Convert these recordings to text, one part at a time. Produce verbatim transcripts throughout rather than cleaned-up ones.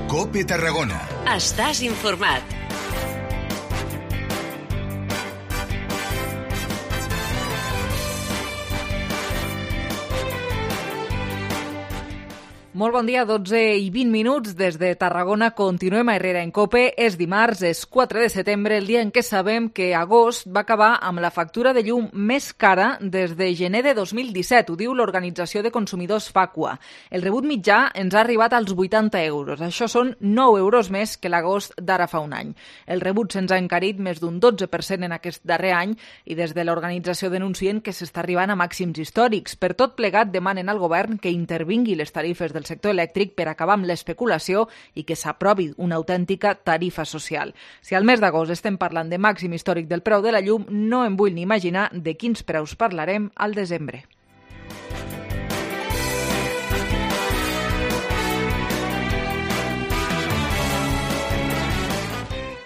COPE Tarragona. Estàs informat. Molt bon dia, dotze i vint minuts des de Tarragona. Continuem a Herrera en COPE. És dimarts, és quatre de setembre, el dia en què sabem que agost va acabar amb la factura de llum més cara des de gener de dos mil disset. Ho diu l'Organització de Consumidors Facua. El rebut mitjà ens ha arribat als vuitanta euros. Això són nou euros més que l'agost d'ara fa un any. El rebut se'ns ha encarit més d'un dotze per cent en aquest darrer any i des de l'organització denuncien que s'està arribant a màxims històrics. Per tot plegat, demanen al govern que intervingui les tarifes del sector elèctric per acabar amb l'especulació i que s'aprovi una autèntica tarifa social. Si al mes d'agost estem parlant de màxim històric del preu de la llum, no em vull ni imaginar de quins preus parlarem al desembre.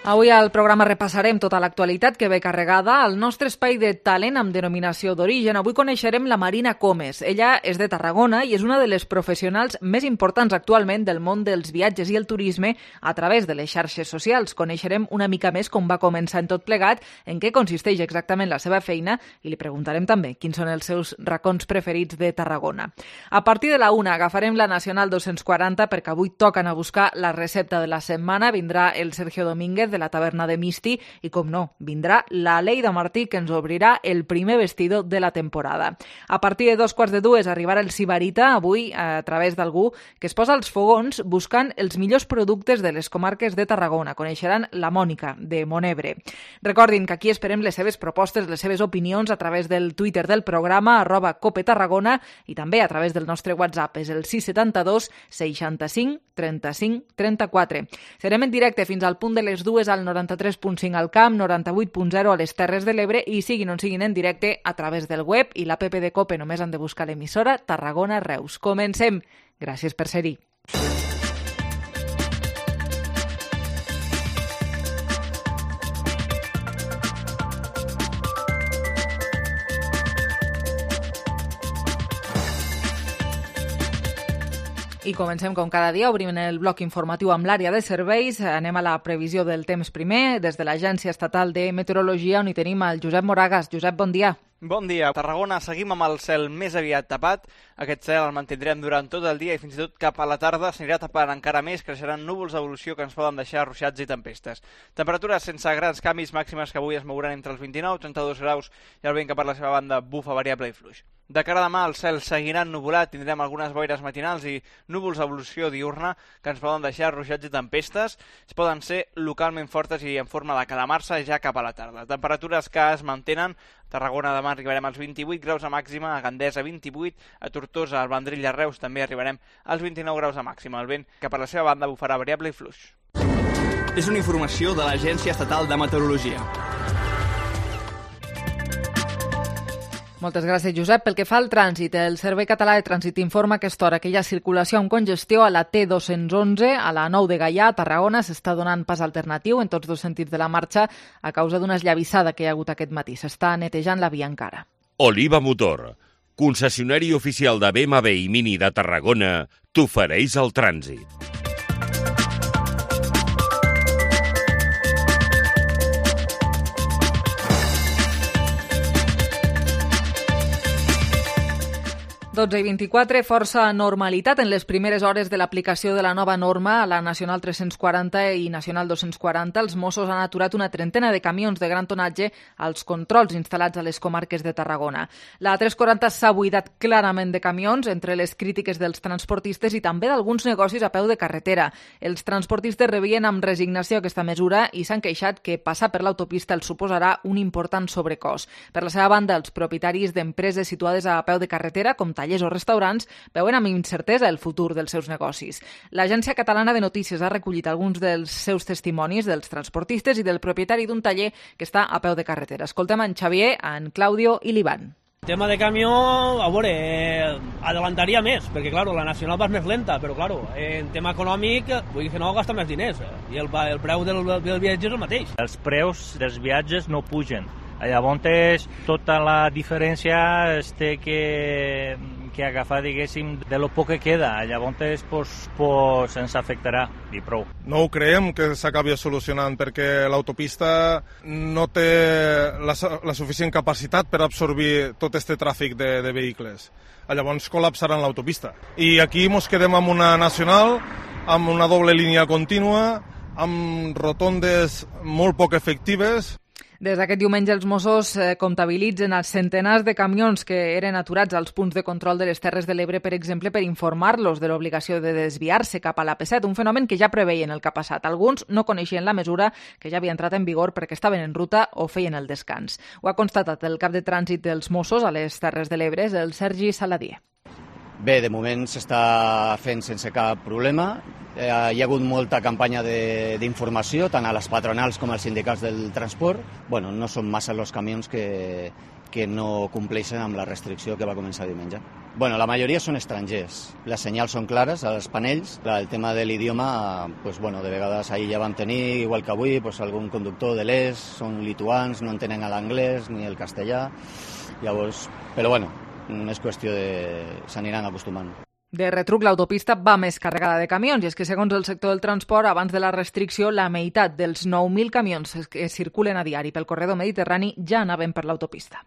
Avui al programa repassarem tota l'actualitat que ve carregada al nostre espai de talent amb denominació d'origen. Avui coneixerem la Marina Comes. Ella és de Tarragona i és una de les professionals més importants actualment del món dels viatges i el turisme a través de les xarxes socials. Coneixerem una mica més com va començar en tot plegat, en què consisteix exactament la seva feina i li preguntarem també quins són els seus racons preferits de Tarragona. A partir de la una agafarem la Nacional dos-cents quaranta perquè avui toquen a buscar la recepta de la setmana. Vindrà el Sergio Domínguez de la taverna de Misti i, com no, vindrà la Leida Martí que ens obrirà el primer vestido de la temporada. A partir de dos quarts de dues arribarà el Sibarita, avui a través d'algú que es posa als fogons buscant els millors productes de les comarques de Tarragona. Coneixeran la Mònica de Monebre. Recordin que aquí esperem les seves propostes, les seves opinions a través del Twitter del programa, arroba Cope Tarragona, i també a través del nostre WhatsApp. És el sis setanta dos seixanta-cinc trenta-cinc trenta-quatre. Serem en directe fins al punt de les dues al noranta-tres punt cinc al Camp, noranta-vuit punt zero a les Terres de l'Ebre i siguin on siguin en directe a través del web i l'app de COPE. Només han de buscar l'emissora Tarragona Reus. Comencem. Gràcies per ser-hi. I comencem com cada dia, obrim el bloc informatiu amb l'àrea de serveis. Anem a la previsió del temps primer, des de l'Agència Estatal de Meteorologia, on hi tenim el Josep Moragas. Josep, bon dia. Bon dia. A Tarragona seguim amb el cel més aviat tapat. Aquest cel el mantindrem durant tot el dia i fins i tot cap a la tarda s'anirà tapant encara més, creixeran núvols d'evolució que ens poden deixar ruixats i tempestes. Temperatures sense grans canvis, màximes que avui es mouran entre els vint-i-nou i trenta-dos graus i el vent que per la seva banda bufa variable i fluix. De cara a demà el cel seguirà ennuvolat, tindrem algunes boires matinals i núvols d'evolució diurna que ens poden deixar ruixats i tempestes. Es poden ser localment fortes i en forma de calamar-se ja cap a la tarda. Temperatures que es mantenen. A Tarragona demà arribarem als vint-i-vuit graus a màxima, a Gandesa vint-i-vuit, a Tortosa, al Vendrell i a Reus també arribarem als vint-i-nou graus a màxima. El vent que per la seva banda bufarà variable i fluix. És una informació de l'Agència Estatal de Meteorologia. Moltes gràcies, Josep. Pel que fa al trànsit, el Servei Català de Trànsit informa a aquesta hora que hi ha circulació amb congestió a la T dos-cents onze, a la nou de Gaià, a Tarragona. S'està donant pas alternatiu en tots dos sentits de la marxa a causa d'una esllavissada que hi ha hagut aquest matí. S'està netejant la via encara. Oliva Motor, concessionari oficial de B M W i Mini de Tarragona, t'ofereix el trànsit. dotze i vint-i-quatre, força normalitat en les primeres hores de l'aplicació de la nova norma a la Nacional tres-cents quaranta i Nacional dos-cents quaranta. Els Mossos han aturat una trentena de camions de gran tonatge als controls instal·lats a les comarques de Tarragona. La tres quaranta s'ha buidat clarament de camions entre les crítiques dels transportistes i també d'alguns negocis a peu de carretera. Els transportistes rebien amb resignació aquesta mesura i s'han queixat que passar per l'autopista els suposarà un important sobrecost. Per la seva banda, els propietaris d'empreses situades a peu de carretera, com tallers o restaurants, veuen amb incertesa el futur dels seus negocis. L'Agència Catalana de Notícies ha recollit alguns dels seus testimonis dels transportistes i del propietari d'un taller que està a peu de carretera. Escoltem en Xavier, en Claudio i l'Ivan. El tema de camió, a veure, eh, adelantaria més, perquè, clar, la nacional va més lenta, però, clar, en tema econòmic, vull dir que no gasta més diners, i el, el preu del, del viatge és el mateix. Els preus dels viatges no pugen. Llavors, tota la diferència és que que agafar, diguéssim, de lo poc que queda. Llavors, pues, pues, ens afectarà i prou. No ho creiem que s'acabi solucionant perquè l'autopista no té la, la suficient capacitat per absorbir tot aquest tràfic de, de vehicles. Llavors col·lapsaran l'autopista. I aquí ens quedem amb una nacional, amb una doble línia contínua, amb rotondes molt poc efectives. Des d'aquest diumenge els Mossos eh, comptabilitzen els centenars de camions que eren aturats als punts de control de les Terres de l'Ebre, per exemple, per informar-los de l'obligació de desviar-se cap a l'A P set, un fenomen que ja preveien el que ha passat. Alguns no coneixien la mesura que ja havia entrat en vigor perquè estaven en ruta o feien el descans. Ho ha constatat el cap de trànsit dels Mossos a les Terres de l'Ebre, el Sergi Saladier. Bé, de moment s'està fent sense cap problema. Eh, hi ha hagut molta campanya d'informació, tant a les patronals com als sindicats del transport. Bueno, no són massa els camions que, que no compleixen amb la restricció que va començar diumenge. Bueno, la majoria són estrangers. Les senyals són clares als panells. El tema de l'idioma, pues, bueno, de vegades ahir ja vam tenir, igual que avui, pues, algun conductor de l'est, són lituans, no entenen l'anglès ni el castellà. Llavors, però bueno, és qüestió de... s'aniran acostumant. De retruc, l'autopista va més carregada de camions i és que, segons el sector del transport, abans de la restricció, la meitat dels nou mil camions que circulen a diari pel corredor mediterrani ja anaven per l'autopista.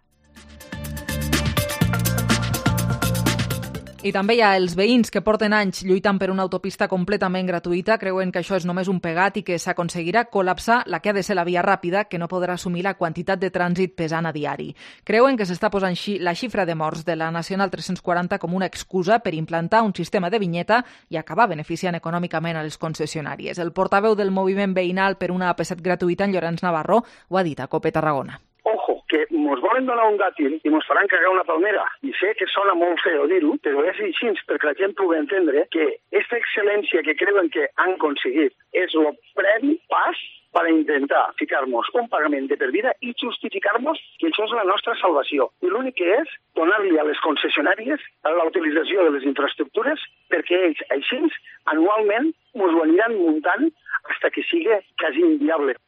I també hi ha els veïns que porten anys lluitant per una autopista completament gratuïta, creuen que això és només un pegat i que s'aconseguirà col·lapsar la que ha de ser la via ràpida, que no podrà assumir la quantitat de trànsit pesant a diari. Creuen que s'està posant la xifra de morts de la Nacional tres-cents quaranta com una excusa per implantar un sistema de vinyeta i acabar beneficiant econòmicament a les concessionàries. El portaveu del moviment veïnal per una A P set gratuïta, en Llorenç Navarro, ho ha dit a COPE Tarragona. Ojo, que mos volen donar un dàtil i mos faran cagar una palmera. I sé que sona molt feo dir-ho, però és així perquè la gent pugui entendre que aquesta excel·lència que creuen que han aconseguit és el previ pas per intentar ficar-nos un pagament de per vida i justificar-nos que això és la nostra salvació. I l'únic que és donar-li a les concessionàries la utilització de les infraestructures perquè ells, així, anualment, mos ho aniran muntant fins que sigui quasi inviable.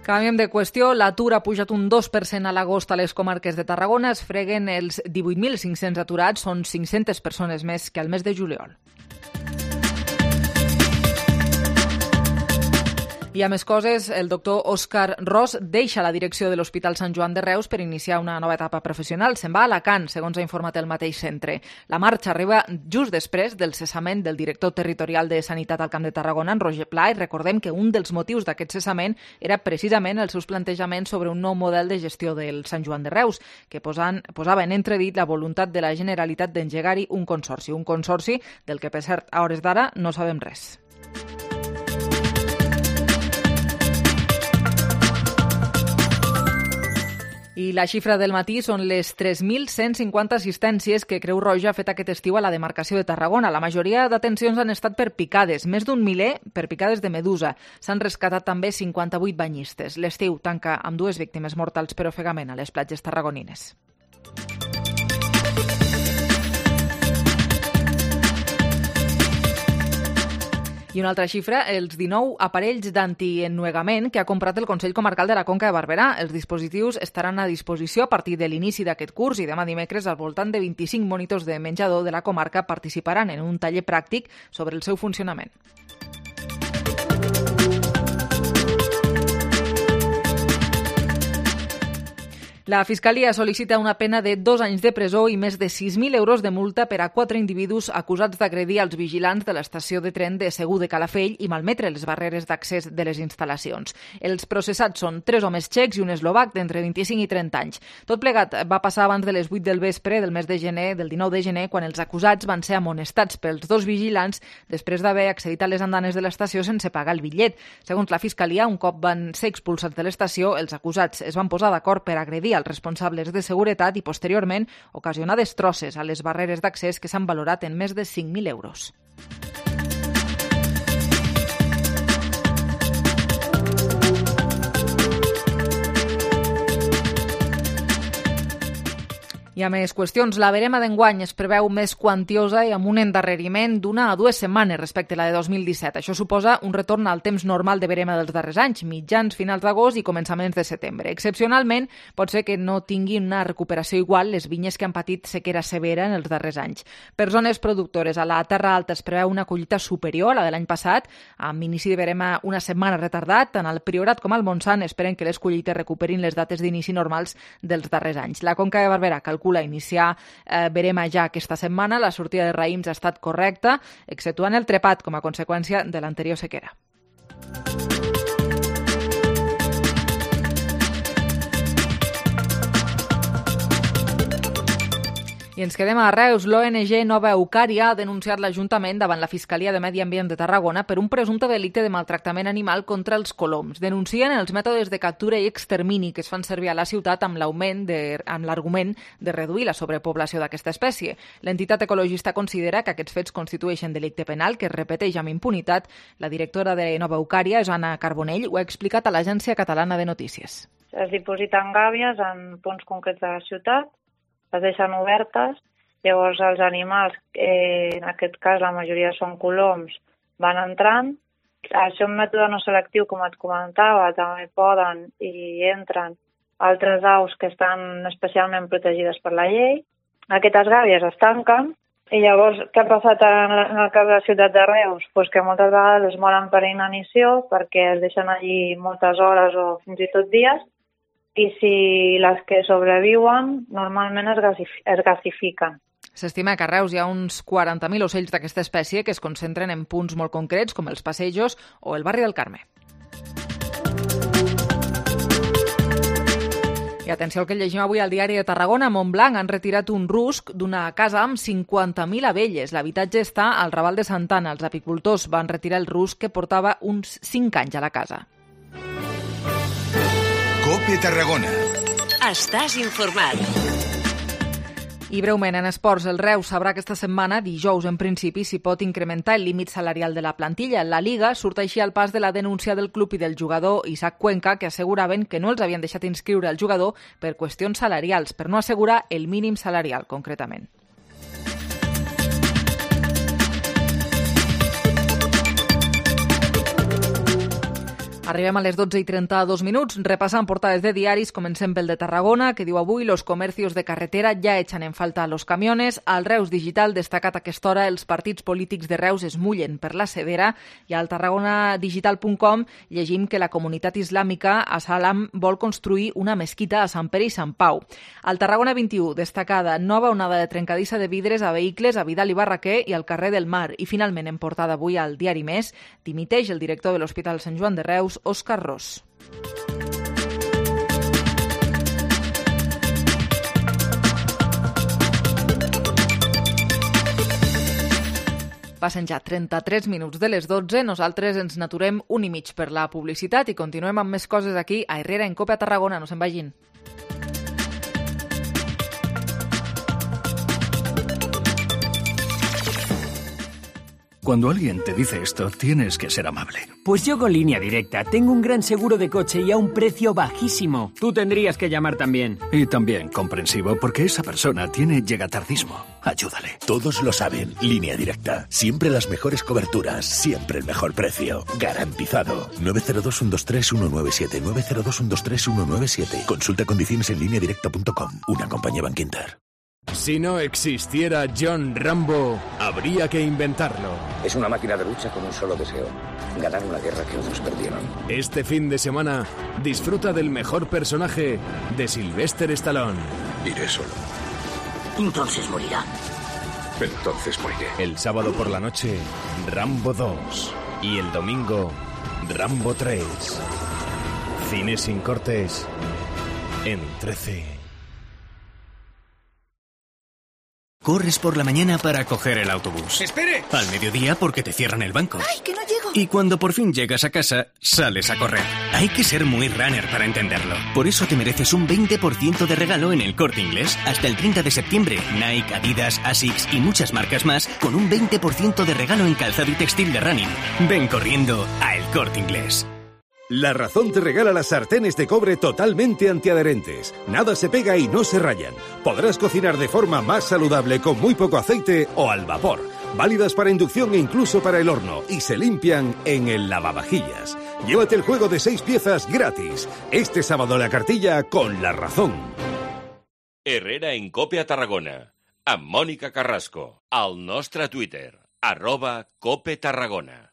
Canviem de qüestió. L'atur ha pujat un dos per cent a l'agost a les comarques de Tarragona. Es freguen els divuit mil cinc-cents aturats, són cinc-centes persones més que al mes de juliol. I a més coses, el doctor Òscar Ros deixa la direcció de l'Hospital Sant Joan de Reus per iniciar una nova etapa professional. Se'n va a Alacant, segons ha informat el mateix centre. La marxa arriba just després del cessament del director territorial de Sanitat al Camp de Tarragona, en Roger Pla, i recordem que un dels motius d'aquest cessament era precisament els seus plantejaments sobre un nou model de gestió del Sant Joan de Reus, que posaven, posava en entredit la voluntat de la Generalitat d'engegar-hi un consorci. Un consorci del que, per cert, a hores d'ara no sabem res. I la xifra del matí són les tres mil cent cinquanta assistències que Creu Roja ha fet aquest estiu a la demarcació de Tarragona. La majoria d'atencions han estat per picades, més d'un miler per picades de medusa. S'han rescatat també cinquanta-vuit banyistes. L'estiu tanca amb dues víctimes mortals per ofegament a les platges tarragonines. I una altra xifra, els dinou aparells d'antiennuegament que ha comprat el Consell Comarcal de la Conca de Barberà. Els dispositius estaran a disposició a partir de l'inici d'aquest curs i demà dimecres al voltant de vint-i-cinc monitors de menjador de la comarca participaran en un taller pràctic sobre el seu funcionament. La Fiscalia sol·licita una pena de dos anys de presó i més de sis mil euros de multa per a quatre individus acusats d'agredir els vigilants de l'estació de tren de Segur de Calafell i malmetre les barreres d'accés de les instal·lacions. Els processats són tres homes txecs i un eslovac d'entre vint-i-cinc i trenta anys. Tot plegat va passar abans de les vuit del vespre del mes de gener, del dinou de gener, quan els acusats van ser amonestats pels dos vigilants després d'haver accedit a les andanes de l'estació sense pagar el bitllet. Segons la Fiscalia, un cop van ser expulsats de l'estació, els acusats es van posar d'acord per agredir als responsables de seguretat i, posteriorment, ocasionar destrosses a les barreres d'accés que s'han valorat en més de cinc mil euros. I a més qüestions, la verema d'enguany es preveu més quantiosa i amb un endarreriment d'una a dues setmanes respecte a la de dos mil disset. Això suposa un retorn al temps normal de verema dels darrers anys, mitjans, finals d'agost i començaments de setembre. Excepcionalment, pot ser que no tinguin una recuperació igual les vinyes que han patit sequera severa en els darrers anys. Per zones productores, a la Terra Alta es preveu una collita superior a la de l'any passat, amb inici de verema una setmana retardat. Tant al Priorat com al Montsant esperen que les collites recuperin les dates d'inici normals dels darrers anys. La Conca de Barberà calcula iniciar eh, verema ja aquesta setmana. La sortida de raïms ha estat correcta, exceptuant el trepat com a conseqüència de l'anterior sequera. I ens quedem a Reus. L'O N G Nova Eucària ha denunciat l'Ajuntament davant la Fiscalia de Medi Ambient de Tarragona per un presumpte delicte de maltractament animal contra els coloms. Denuncien els mètodes de captura i extermini que es fan servir a la ciutat amb l'augment de, amb l'argument de reduir la sobrepoblació d'aquesta espècie. L'entitat ecologista considera que aquests fets constitueixen delicte penal que es repeteix amb impunitat. La directora de Nova Eucària, Joana Carbonell, ho ha explicat a l'Agència Catalana de Notícies. Es dipositen gàbies en punts concrets de la ciutat, es deixen obertes, llavors els animals, eh, en aquest cas la majoria són coloms, van entrant. Això és un mètode no selectiu, com et comentava, també poden i entren altres aus que estan especialment protegides per la llei. Aquestes gàbies es tanquen i llavors què ha passat en el cas de la ciutat de Reus? Pues que moltes vegades es moren per inanició perquè es deixen allí moltes hores o fins i tot dies, i si les que sobreviuen normalment es, gasif- es gasifiquen. S'estima que a Reus hi ha uns quaranta mil ocells d'aquesta espècie que es concentren en punts molt concrets com els passejos o el barri del Carme. I atenció al que llegim avui al diari de Tarragona. A Montblanc han retirat un rusc d'una casa amb cinquanta mil abelles. L'habitatge està al Raval de Santana. Els apicultors van retirar el rusc que portava uns cinc anys a la casa. COPE Tarragona. Estàs informat. I breument, en esports, el Reus sabrà aquesta setmana, dijous en principi, si pot incrementar el límit salarial de la plantilla. La Liga surt així al pas de la denúncia del club i del jugador Isaac Cuenca, que asseguraven que no els havien deixat inscriure el jugador per qüestions salarials, per no assegurar el mínim salarial, concretament. Arribem a les dotze i trenta-dos minuts, repassant portades de diaris, comencem pel de Tarragona, que diu avui los comercios de carretera ja echan en falta a los camiones. Al Reus Digital, destacat a aquesta hora, els partits polítics de Reus es mullen per la severa, i al tarragona digital punt com llegim que la comunitat islàmica a Salam vol construir una mesquita a Sant Pere i Sant Pau. Al Tarragona vint-i-u, destacada nova onada de trencadissa de vidres a vehicles a Vidal i Barraquer i al carrer del Mar. I finalment, en portada avui al Diari Més, dimiteix el director de l'Hospital Sant Joan de Reus, Òscar Ros. Passen ja trenta-tres minuts de les dotze, nosaltres ens naturem un i mig per la publicitat i continuem amb més coses aquí a Herrera en COPE a Tarragona, no se'n vagin. Cuando alguien te dice esto, tienes que ser amable. Pues yo con Línea Directa tengo un gran seguro de coche y a un precio bajísimo. Tú tendrías que llamar también. Y también comprensivo, porque esa persona tiene llegatardismo. Ayúdale. Todos lo saben. Línea Directa. Siempre las mejores coberturas. Siempre el mejor precio. Garantizado. nueve cero dos, uno dos tres, uno nueve siete. nueve cero dos, uno dos tres, uno nueve siete. Consulta condiciones en línea directa punto com. Una compañía Bankinter. Si no existiera John Rambo, habría que inventarlo. Es una máquina de lucha con un solo deseo: ganar una guerra que otros perdieron. Este fin de semana, disfruta del mejor personaje de Sylvester Stallone. Iré solo. Entonces morirá. Entonces moriré. El sábado por la noche, Rambo dos. Y el domingo, Rambo tres. Cine sin cortes en trece. Corres por la mañana para coger el autobús. ¡Espere! Al mediodía porque te cierran el banco. ¡Ay, que no llego! Y cuando por fin llegas a casa, sales a correr. Hay que ser muy runner para entenderlo. Por eso te mereces un veinte por ciento de regalo en El Corte Inglés. Hasta el treinta de septiembre, Nike, Adidas, Asics y muchas marcas más con un veinte por ciento de regalo en calzado y textil de running. Ven corriendo a El Corte Inglés. La Razón te regala las sartenes de cobre totalmente antiadherentes. Nada se pega y no se rayan. Podrás cocinar de forma más saludable con muy poco aceite o al vapor. Válidas para inducción e incluso para el horno. Y se limpian en el lavavajillas. Llévate el juego de seis piezas gratis. Este sábado la cartilla con La Razón. Herrera en Cope a Tarragona. Amb Mònica Carrasco. Al nostre Twitter. Arroba Cope Tarragona.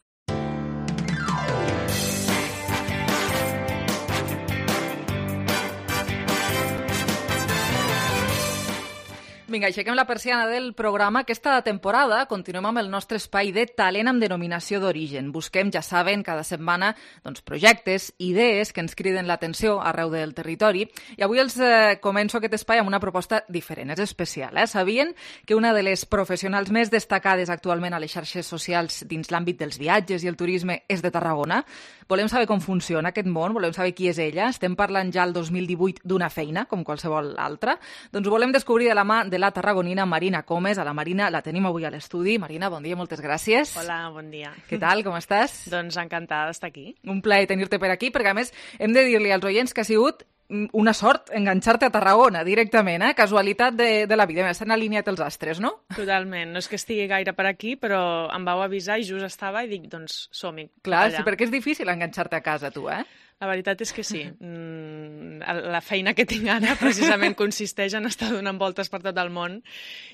Vinga, aixequem la persiana del programa. Aquesta temporada continuem amb el nostre espai de talent amb denominació d'origen. Busquem, ja saben, cada setmana doncs, projectes, idees que ens criden l'atenció arreu del territori. I avui els eh, començo aquest espai amb una proposta diferent, és especial. Eh? Sabien que una de les professionals més destacades actualment a les xarxes socials dins l'àmbit dels viatges i el turisme és de Tarragona? Volem saber com funciona aquest món, volem saber qui és ella. Estem parlant ja el dos mil divuit d'una feina, com qualsevol altra. Doncs volem descobrir de la mà de la tarragonina Marina Comes. A la Marina la tenim avui a l'estudi. Marina, bon dia, moltes gràcies. Hola, bon dia. Què tal, com estàs? Doncs encantada d'estar aquí. Un plaer tenir-te per aquí, perquè a més hem de dir-li als oients que ha sigut una sort enganxar-te a Tarragona directament, eh? Casualitat de, de la vida. S'han alineat els astres, no? Totalment. No és que estigui gaire per aquí, però em vau avisar i just estava i dic, doncs som-hi. Clar, sí, perquè és difícil enganxar-te a casa, tu, eh? La veritat és que sí. Mm, la feina que tinc ara precisament consisteix en estar donant voltes per tot el món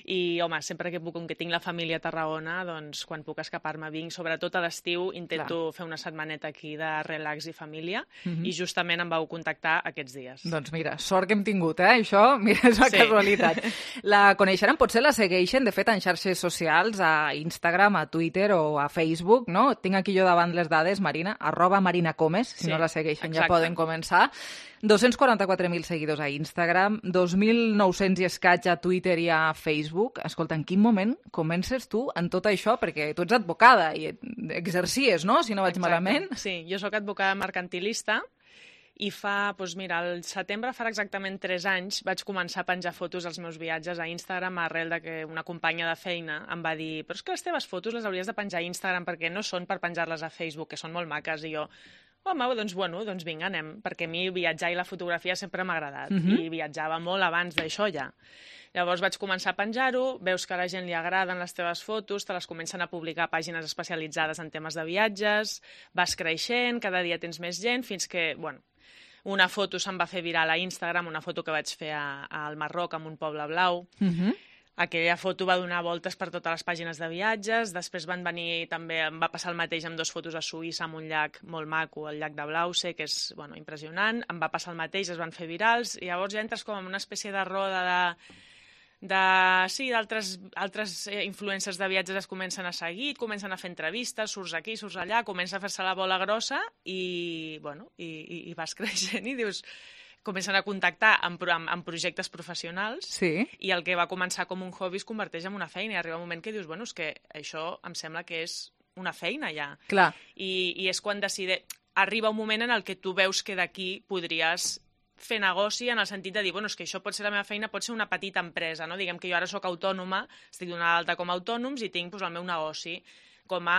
i, home, sempre que puc, com que tinc la família a Tarragona, doncs quan puc escapar-me vinc. Sobretot a l'estiu intento Clar. fer una setmaneta aquí de relax i família uh-huh. i justament em vau contactar aquests dies. Doncs mira, sort que hem tingut, eh? Això, mira, és una sí. casualitat. La coneixeran, potser la segueixen, de fet, en xarxes socials, a Instagram, a Twitter o a Facebook, no? Tinc aquí jo davant les dades, Marina, arroba Marina Comes, si sí. no la segueixen. Exacte. Ja poden començar. dos-cents quaranta-quatre mil seguidors a Instagram, dos mil nou-cents i escaig a Twitter i a Facebook. Escolta, en quin moment comences tu en tot això? Perquè tu ets advocada i exercies, no?, si no vaig Exacte. malament. Sí, jo sóc advocada mercantilista i fa, doncs mira, al setembre farà exactament tres anys vaig començar a penjar fotos dels meus viatges a Instagram arrel de que una companya de feina em va dir però és que les teves fotos les hauries de penjar a Instagram perquè no són per penjar-les a Facebook, que són molt maques, i jo... Home, doncs bueno, doncs vinga, anem, perquè a mi viatjar i la fotografia sempre m'ha agradat, uh-huh. i viatjava molt abans d'això ja. Llavors vaig començar a penjar-ho, veus que a la gent li agraden les teves fotos, te les comencen a publicar a pàgines especialitzades en temes de viatges, vas creixent, cada dia tens més gent, fins que, bueno, una foto se'n va fer viral a Instagram, una foto que vaig fer a, a, al Marroc, en un poble blau, uh-huh. Aquella foto va donar voltes per totes les pàgines de viatges, després van venir també, em va passar el mateix amb dues fotos a Suïssa, amb un llac molt maco, el llac de Blauze, que és bueno, impressionant, em va passar el mateix, es van fer virals, i llavors ja entres com en una espècie de roda de... de sí, d'altres altres influencers de viatges es comencen a seguir, comencen a fer entrevistes, surts aquí, surts allà, comença a fer-se la bola grossa i, bueno, i, i, i vas creixent i dius... comencen a contactar amb, amb, amb projectes professionals sí. i el que va començar com un hobby es converteix en una feina i arriba un moment que dius, bueno, és que això em sembla que és una feina ja. Clar. I, i és quan decide... Arriba un moment en el que tu veus que d'aquí podries fer negoci en el sentit de dir, bueno, és que això pot ser la meva feina, pot ser una petita empresa, no? Diguem que jo ara sóc autònoma, estic donada d'alta com a autònoms i tinc doncs, el meu negoci com a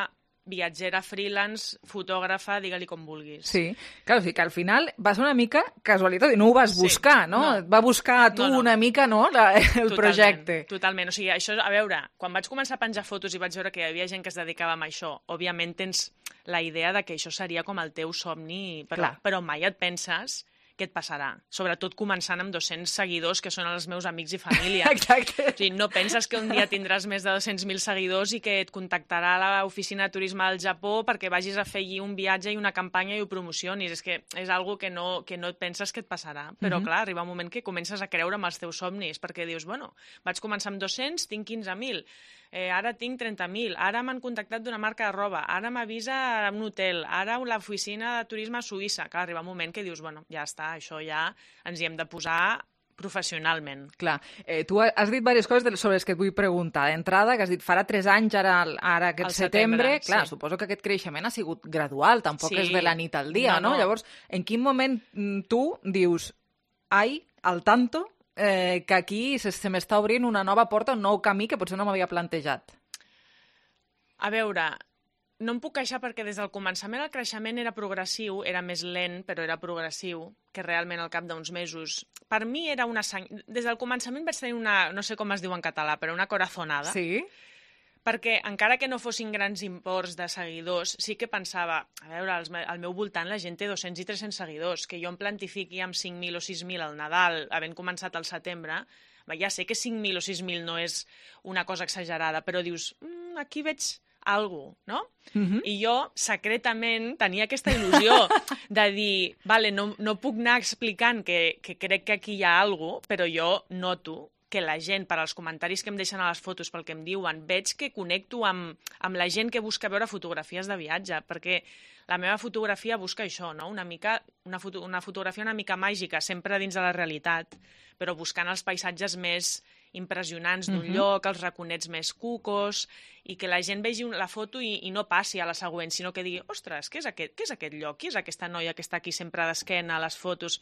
viatgera, freelance, fotògrafa, digue-li com vulguis. Sí, clar, o sigui que al final va ser una mica casualitat i no ho vas buscar, sí, no? no? Et va buscar a tu no, no. una mica, no?, la, el totalment, projecte. Totalment, o sigui, això, a veure, quan vaig començar a penjar fotos i vaig veure que hi havia gent que es dedicava a això, òbviament tens la idea de que això seria com el teu somni, però, però mai et penses què et passarà, sobretot començant amb dos-cents seguidors que són els meus amics i família. Exacte. O sigui, no penses que un dia tindràs més de dos-cents mil seguidors i que et contactarà l'oficina de turisme del Japó perquè vagis a fer allí un viatge i una campanya i ho promocionis. És que és algo que no, que no et penses que et passarà. Però, uh-huh. clar, arriba un moment que comences a creure en els teus somnis perquè dius, bueno, vaig començar amb dos-cents, tinc quinze mil, eh, ara tinc trenta mil, ara m'han contactat d'una marca de roba, ara m'avisa un hotel, ara l'oficina de turisme a Suïssa. Clar, arriba un moment que dius, bueno, ja està, això ja ens hi hem de posar professionalment. Clar, eh, tu has dit diverses coses sobre les que et vull preguntar. D'entrada, que has dit farà tres anys, ara, ara aquest setembre, setembre, clar, sí. Suposo que aquest creixement ha sigut gradual, tampoc sí. és de la nit al dia, no, no? no? Llavors, en quin moment tu dius, ai, al tanto, eh, que aquí se, se m'està obrint una nova porta, un nou camí que potser no m'havia plantejat? A veure, no em puc queixar perquè des del començament el creixement era progressiu, era més lent, però era progressiu, que realment al cap d'uns mesos... Per mi era una... Sang... Des del començament vaig tenir una... No sé com es diu en català, però una corazonada. Sí? Perquè encara que no fossin grans imports de seguidors, sí que pensava, a veure, al meu voltant la gent té dos-cents i tres-cents seguidors, que jo em plantifiqui amb cinc mil o sis mil al Nadal, havent començat al setembre, ja sé que cinc mil o sis mil no és una cosa exagerada, però dius, mm, aquí veig algo, no? Uh-huh. I jo, secretament, tenia aquesta il·lusió de dir, vale, no, no puc anar explicant que, que crec que aquí hi ha algo, però jo noto que la gent, per als comentaris que em deixen a les fotos, pel que em diuen, veig que connecto amb, amb la gent que busca veure fotografies de viatge, perquè la meva fotografia busca això, no? Una mica, una, foto, una fotografia una mica màgica, sempre dins de la realitat, però buscant els paisatges més impressionants d'un uh-huh. lloc, els raconets més cucos, i que la gent vegi la foto i, i no passi a la següent, sinó que digui, ostres, què és aquest, què és aquest lloc? Qui és aquesta noia que està aquí sempre d'esquena a les fotos?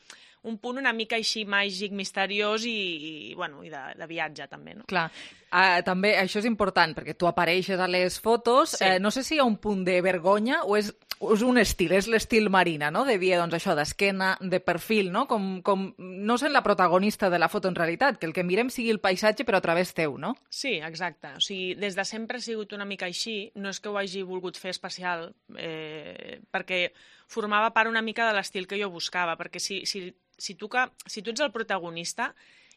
Un punt una mica així màgic, misteriós i, i, bueno, i de, de viatge, també, no? Clar. Uh, també això és important, perquè tu apareixes a les fotos. Sí. Uh, no sé si hi ha un punt de vergonya o és, és un estil, és l'estil Marina, no? De dir, doncs, això, d'esquena, de perfil, no? Com, com no sent la protagonista de la foto en realitat, que el que mirem sigui el paisatge però a través teu, no? Sí, exacte. O sigui, des de sempre ha sigut una mica així. No és que ho hagi volgut fer especial, eh, perquè formava part una mica de l'estil que jo buscava, perquè si, si, si, tu, que, si tu ets el protagonista,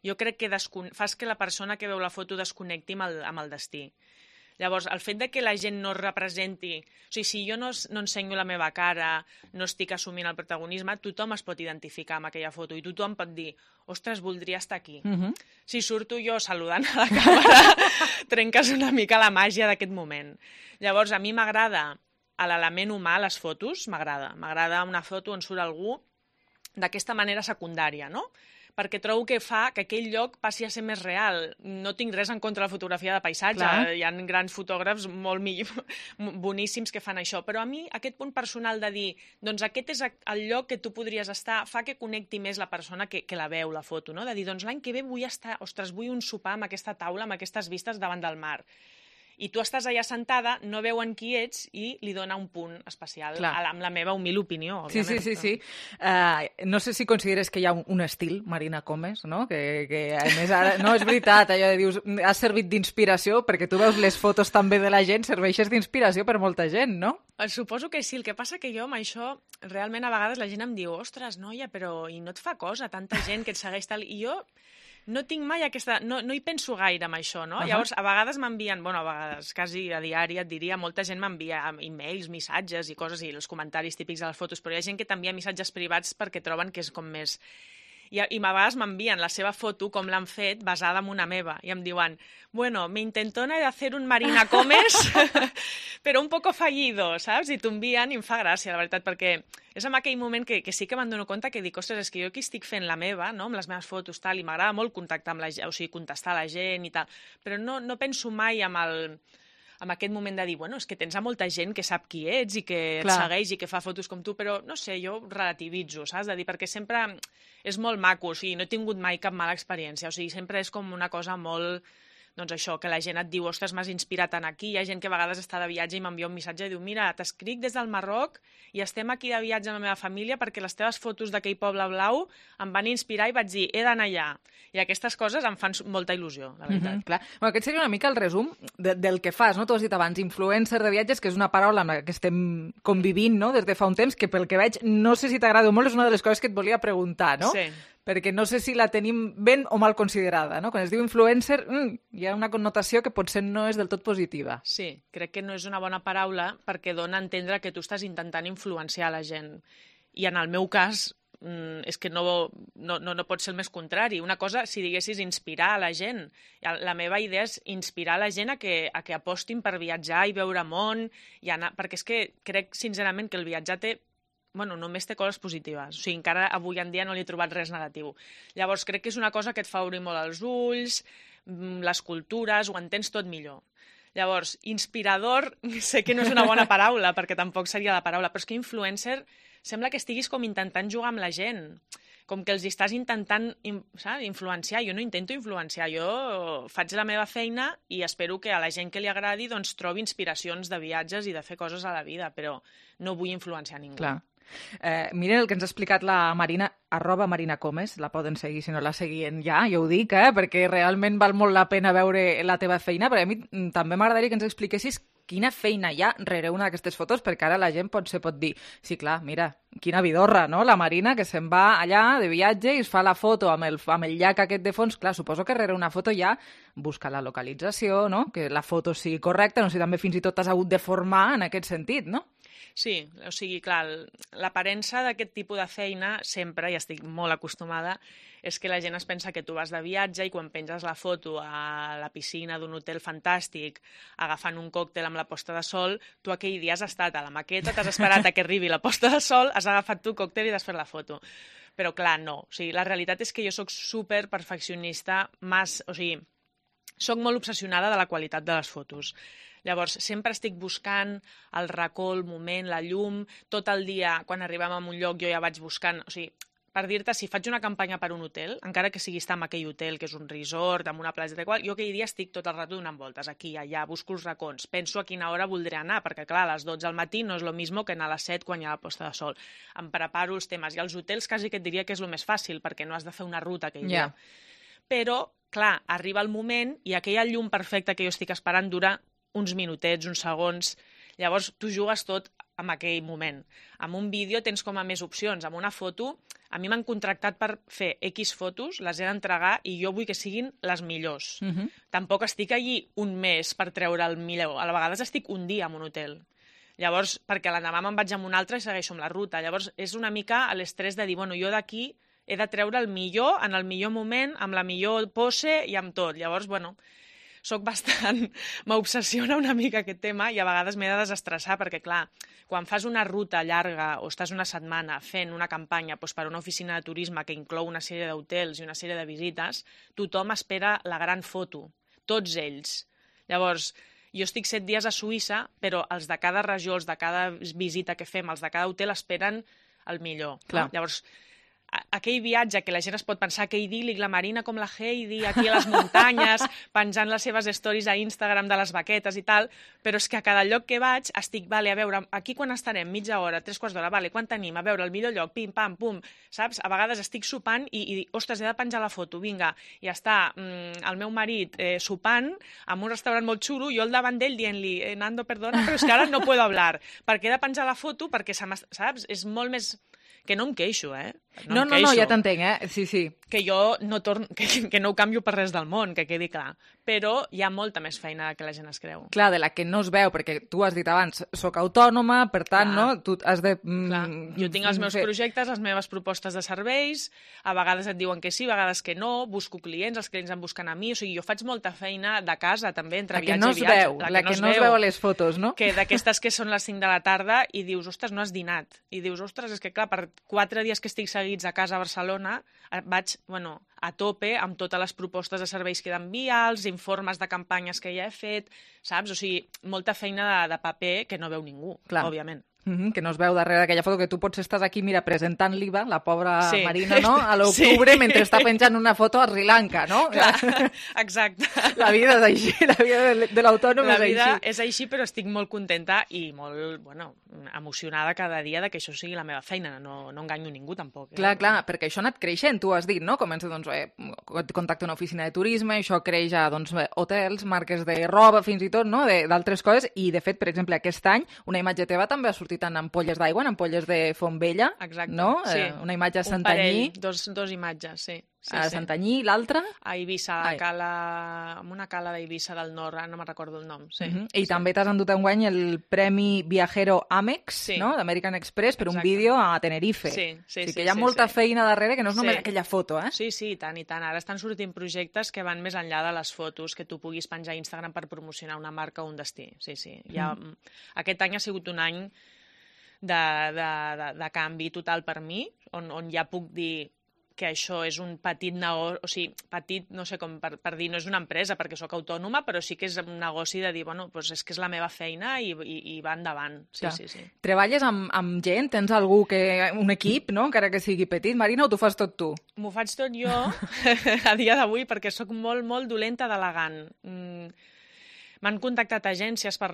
jo crec que descon... fas que la persona que veu la foto desconnecti amb el, amb el destí. Llavors, el fet de que la gent no representi... O sigui, si jo no, no ensenyo la meva cara, no estic assumint el protagonisme, tothom es pot identificar amb aquella foto i tothom pot dir, ostres, voldria estar aquí. Uh-huh. Si surto jo saludant a la càmera, trenques una mica la màgia d'aquest moment. Llavors, a mi m'agrada l'element humà a les fotos, m'agrada. M'agrada una foto on surt algú d'aquesta manera secundària, no? Perquè trobo que fa que aquell lloc passi a ser més real. No tinc res en contra de la fotografia de paisatge, clar. Hi ha grans fotògrafs molt millor, boníssims que fan això, però a mi aquest punt personal de dir, doncs aquest és el lloc que tu podries estar, fa que connecti més la persona que, que la veu, la foto, no? De dir, doncs l'any que ve vull estar, ostres, vull un sopar amb aquesta taula, amb aquestes vistes davant del mar. I tu estàs allà sentada, no veuen qui ets i li dona un punt especial, Clar. amb la meva humil opinió, òbviament. Sí, sí, sí. sí. Uh, no sé si consideres que hi ha un, un estil, Marina Comes, no? Que, que a més ara... No, és veritat, allò de dius, has servit d'inspiració, perquè tu veus les fotos també de la gent, serveixes d'inspiració per molta gent, no? Suposo que sí, el que passa que jo amb això, realment a vegades la gent em diu, ostres, noia, però i no et fa cosa tanta gent que et segueix tal... I jo... No tinc mai aquesta... No, no hi penso gaire amb això, no? Uh-huh. Llavors, a vegades m'envien... Bueno, a vegades, quasi a diari, et diria, molta gent m'envia e-mails, missatges i coses, i els comentaris típics de les fotos, però hi ha gent que t'envia missatges privats perquè troben que és com més... I, i a vegades m'envien la seva foto, com l'han fet, basada en una meva, i em diuen, bueno, me intentona de hacer un Marina Comes, però un poco fallido, saps? I t'ho envien i em fa gràcia, la veritat, perquè és en aquell moment que, que sí que me'n dono compte que dic, ostres, és que jo aquí estic fent la meva, no?, amb les meves fotos, tal, i m'agrada molt contactar amb la gent, o sigui, contestar a la gent i tal, però no, no penso mai amb el... amb aquest moment de dir, bueno, és que tens a molta gent que sap qui ets i que et Clar. segueix i que fa fotos com tu, però, no sé, jo relativitzo, saps? De dir, perquè sempre és molt maco, o sigui, no he tingut mai cap mala experiència, o sigui, sempre és com una cosa molt... Doncs això, que la gent et diu, ostres, m'has inspirat en aquí, hi ha gent que a vegades està de viatge i m'envia un missatge i diu, mira, t'escric des del Marroc i estem aquí de viatge amb la meva família perquè les teves fotos d'aquell poble blau em van inspirar i vaig dir, he d'anar allà. I aquestes coses em fan molta il·lusió, la veritat. Mm-hmm, clar. Bueno, aquest seria una mica el resum de, del que fas, no? Tu has dit abans, influencer de viatges, que és una paraula amb la que estem convivint, no?, des de fa un temps, que pel que veig, no sé si t'agrada molt, és una de les coses que et volia preguntar, no? Sí. Perquè no sé si la tenim ben o mal considerada, no? Quan es diu influencer, mm, hi ha una connotació que potser no és del tot positiva. Sí, crec que no és una bona paraula perquè dona a entendre que tu estàs intentant influenciar la gent. I en el meu cas, mm, és que no, no, no, no pot ser el més contrari. Una cosa, si diguessis, inspirar a la gent. La meva idea és inspirar a la gent a que, a que apostin per viatjar i veure món, i anar, perquè és que crec sincerament que el viatjar té bueno, només té coses positives. O sigui, encara avui en dia no li he trobat res negatiu. Llavors, crec que és una cosa que et fa obrir molt els ulls, les cultures, ho entens tot millor. Llavors, inspirador, sé que no és una bona paraula, perquè tampoc seria la paraula, però és que influencer sembla que estiguis com intentant jugar amb la gent. com que els estàs intentant saps, influenciar. Jo no intento influenciar, jo faig la meva feina i espero que a la gent que li agradi doncs, trobi inspiracions de viatges i de fer coses a la vida, però no vull influenciar ningú. Clar. Eh, miren el que ens ha explicat la Marina, arroba Marina Comes, la poden seguir si no la seguien ja, jo ho dic, eh, perquè realment val molt la pena veure la teva feina, però a mi també m'agradaria que ens expliquessis quina feina hi ha rere una d'aquestes fotos, perquè ara la gent potser pot dir, sí, clar, mira, quina vidorra, no?, la Marina, que se'n va allà de viatge i es fa la foto amb el, amb el llac aquest de fons. Clar, suposo que rere una foto ja busca la localització, no?, que la foto sigui correcta, no sé, també fins i tot t'has hagut de formar en aquest sentit, no? Sí, o sigui, clar, l'aparença d'aquest tipus de feina sempre, i estic molt acostumada, és que la gent es pensa que tu vas de viatge i quan penges la foto a la piscina d'un hotel fantàstic agafant un còctel amb la posta de sol, tu aquell dia has estat a la maqueta, t'has esperat a que arribi la posta de sol, has agafat tu còctel i t'has fet la foto. Però clar, no. O sigui, la realitat és que jo sóc super perfeccionista, mas, o sigui, sóc molt obsessionada de la qualitat de les fotos. Llavors, sempre estic buscant el racó, el moment, la llum, tot el dia, quan arribem a un lloc, jo ja vaig buscant, o sigui, per dir-te, si faig una campanya per un hotel, encara que sigui estar en aquell hotel, que és un resort, amb una platja de qual, jo aquell dia estic tot el rato donant voltes, aquí, allà, busco els racons, penso a quina hora voldré anar, perquè clar, a les dotze al matí no és el mismo que anar a les set quan hi ha la posta de sol. Em preparo els temes, i als hotels quasi que et diria que és el més fàcil, perquè no has de fer una ruta aquell dia. Yeah. Però, clar, arriba el moment i aquella llum perfecta que jo estic esperant dura uns minutets, uns segons. Llavors, tu jugues tot en aquell moment. Amb un vídeo tens com a més opcions. Amb una foto, a mi m'han contractat per fer X fotos, les he d'entregar i jo vull que siguin les millors. Uh-huh. Tampoc estic allí un mes per treure el millor. A vegades estic un dia en un hotel. Llavors, perquè l'endemà me'n vaig amb un altre i segueixo amb la ruta. Llavors, és una mica l'estrès de dir, bueno, jo d'aquí he de treure el millor, en el millor moment, amb la millor pose i amb tot. Llavors, bueno, soc bastant... m'obsessiona una mica aquest tema i a vegades m'he de desestressar perquè, clar, quan fas una ruta llarga o estàs una setmana fent una campanya doncs, per una oficina de turisme que inclou una sèrie d'hotels i una sèrie de visites, tothom espera la gran foto, tots ells. Llavors, jo estic set dies a Suïssa, però els de cada regió, els de cada visita que fem, els de cada hotel esperen el millor. Clar. No? Llavors, aquell viatge que la gent es pot pensar que idíl·lic, la Marina com la Heidi, aquí a les muntanyes, penjant les seves stories a Instagram de les baquetes i tal, però és que a cada lloc que vaig estic, vale, a veure, aquí quan estarem? Mitja hora, tres quarts d'hora, vale, quan tenim? A veure, el millor lloc, pim, pam, pum, saps? A vegades estic sopant i, i ostres, he de penjar la foto, vinga, i està mm, el meu marit eh, sopant en un restaurant molt xulo, jo al davant d'ell dient-li, eh, Nando, perdona, però és que ara no puedo hablar, perquè he de penjar la foto, perquè, saps? És molt més... Que no em queixo, eh? No, no, no, no, ja t'entenc, eh? Sí, sí. Que jo no, torn... que, que no ho canvio per res del món, que quedi clar. Però hi ha molta més feina que la gent es creu. Clar, de la que no es veu, perquè tu has dit abans, soc autònoma, per tant, clar, no? Tu has de... Clar. Jo tinc els meus projectes, les meves propostes de serveis, a vegades et diuen que sí, a vegades que no, busco clients, els clients em busquen a mi, o sigui, jo faig molta feina de casa, també, entre viatge no i viatge. Veu, la, la que, que no es veu a les fotos, no? Que d'aquestes que són les cinc de la tarda i dius, ostres, no has dinat. I dius, ostres, és que clar, per quatre dies que estic seguits a casa a Barcelona, vaig, bueno, a tope amb totes les propostes de serveis que he d'enviar, els informes de campanyes que ja he fet, saps? O sigui, molta feina de, de paper que no veu ningú, clar, òbviament. Mm-hmm, que no es veu darrere d'aquella foto, que tu potser estàs aquí, mira, presentant l'I V A, la pobra sí. Marina, no?, a l'octubre, sí. mentre està penjant una foto a Sri Lanka, no? Clar, exacte. La vida és així, la vida de, de l'autònom és així. La vida és així, però estic molt contenta i molt, bueno, emocionada cada dia de que això sigui la meva feina, no, no enganyo ningú tampoc. Eh? Clar, clar, perquè això ha anat creixent, tu has dit, no? Comença, doncs, eh, contacte una oficina de turisme, això creix a, doncs, hotels, marques de roba, fins i tot, no?, d'altres coses, i, de fet, per exemple, aquest any, una imatge teva també ha sortit en ampolles d'aigua, en ampolles de Fontvella, exacte, no? Sí. Eh, una imatge a Santanyí. Un parell, dos, dos imatges, sí. Sí, a sí. Santanyí, l'altra? A Eivissa, a cala... en una cala d'Eivissa del Nord, no me'n recordo el nom. Sí. Uh-huh. I sí. també t'has endut enguany el Premi Viajero Amex, sí. no?, d'American Express, per Exacte. Un vídeo a Tenerife. Sí, sí, o sigui sí, que hi ha sí, molta sí. feina darrere, que no és només sí. aquella foto, eh? Sí, sí, i tant, i tant. Ara estan sortint projectes que van més enllà de les fotos que tu puguis penjar a Instagram per promocionar una marca o un destí. Sí, sí. Mm. Ja... Aquest any ha sigut un any de, de, de, de canvi total per mi, on, on ja puc dir que això és un petit negoci, o sigui, petit, no sé com per, per dir, no és una empresa perquè sóc autònoma, però sí que és un negoci de dir, bueno, doncs és que és la meva feina i, i, i va endavant. Sí, Clar. sí, sí. Treballes amb, amb gent? Tens algú que... un equip, no?, encara que sigui petit, Marina, o t'ho fas tot tu? M'ho faig tot jo a dia d'avui perquè sóc molt, molt dolenta delegant. Mm, M'han contactat agències per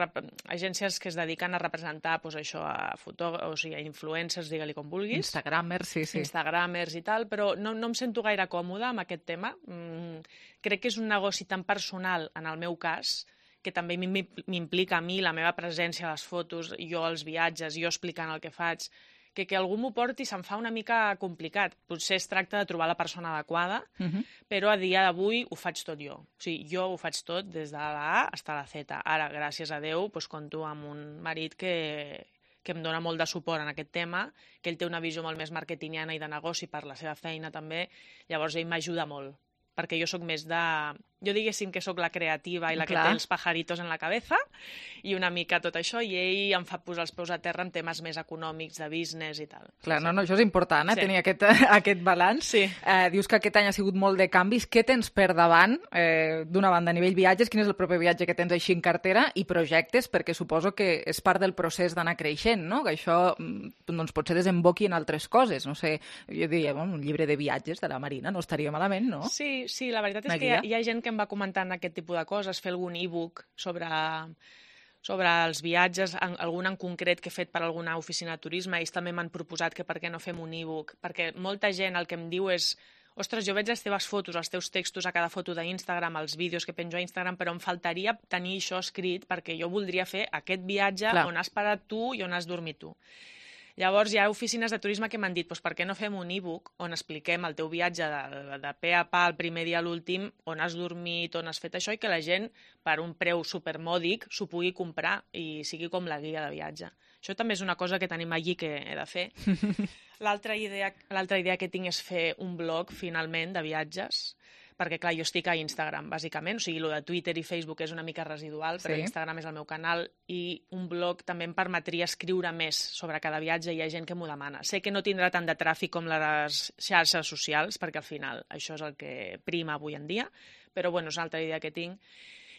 agències que es dediquen a representar doncs, això, a fotògrafs, o sigui, a influencers, digue-li com vulguis. Instagramers, sí, sí. Instagramers i tal, però no, no em sento gaire còmoda amb aquest tema. Mm, crec que és un negoci tan personal, en el meu cas, que també m'implica a mi la meva presència a les fotos, jo als viatges, jo explicant el que faig, que que algú m'ho porti se'm fa una mica complicat. Potser es tracta de trobar la persona adequada, uh-huh. però a dia d'avui ho faig tot jo. O sigui, jo ho faig tot des de la A fins a la Z. Ara, gràcies a Déu, doncs, compto amb un marit que, que em dona molt de suport en aquest tema, que ell té una visió molt més marketingiana i de negoci per la seva feina també, llavors ell m'ajuda molt, perquè jo sóc més de... Jo diguéssim que sóc la creativa i la Clar. que té els pajaritos en la cabeza i una mica tot això, i ell em fa posar els peus a terra en temes més econòmics, de business i tal. Clar, no, no, això és important, eh, Sí. tenir aquest, aquest balanç. Sí. Eh, dius que aquest any ha sigut molt de canvis. Què tens per davant, eh, d'una banda, a nivell viatges? Quin és el proper viatge que tens així en cartera? I projectes, perquè suposo que és part del procés d'anar creixent, no? Que això mm, doncs, potser desemboqui en altres coses. No sé, jo diria, bueno, un llibre de viatges de la Marina no estaria malament, no? Sí, sí, la veritat és Una que hi ha, guia. hi ha gent que em va comentant aquest tipus de coses, fer algun e-book sobre, sobre els viatges, en, algun en concret que he fet per alguna oficina de turisme. Ells també m'han proposat que per què no fem un e-book, perquè molta gent el que em diu és ostres, jo veig les teves fotos, els teus textos a cada foto d'Instagram, els vídeos que penjo a Instagram, però em faltaria tenir això escrit perquè jo voldria fer aquest viatge Clar. on has parat tu i on has dormit tu. Llavors hi ha oficines de turisme que m'han dit doncs per què no fem un e-book on expliquem el teu viatge de, de pe a pa, el primer dia a l'últim, on has dormit, on has fet això, i que la gent, per un preu supermòdic, s'ho pugui comprar i sigui com la guia de viatge. Això també és una cosa que tenim allí que he de fer. L'altra idea, l'altra idea que tinc és fer un blog, finalment, de viatges, perquè, clar, jo estic a Instagram, bàsicament, o sigui, el de Twitter i Facebook és una mica residual, però Sí. Instagram és el meu canal, i un blog també em permetria escriure més sobre cada viatge, i hi ha gent que m'ho demana. Sé que no tindrà tant de tràfic com les xarxes socials, perquè al final això és el que prima avui en dia, però bueno, és una altra idea que tinc.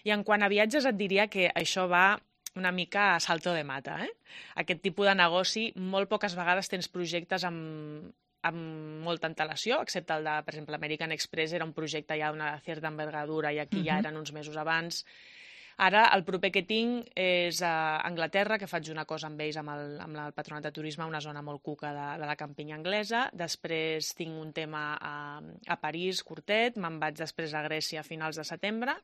I en quant a viatges et diria que això va una mica a salto de mata, eh? Aquest tipus de negoci, molt poques vegades tens projectes amb amb molta antelació, excepte el de, per exemple, American Express era un projecte ja d'una certa envergadura i aquí uh-huh. ja eren uns mesos abans. Ara, el proper que tinc és a Anglaterra, que faig una cosa amb ells, amb el, amb el Patronat de Turisme, una zona molt cuca de, de la campinya anglesa. Després tinc un tema a, a París, curtet, me'n vaig després a Grècia a finals de setembre,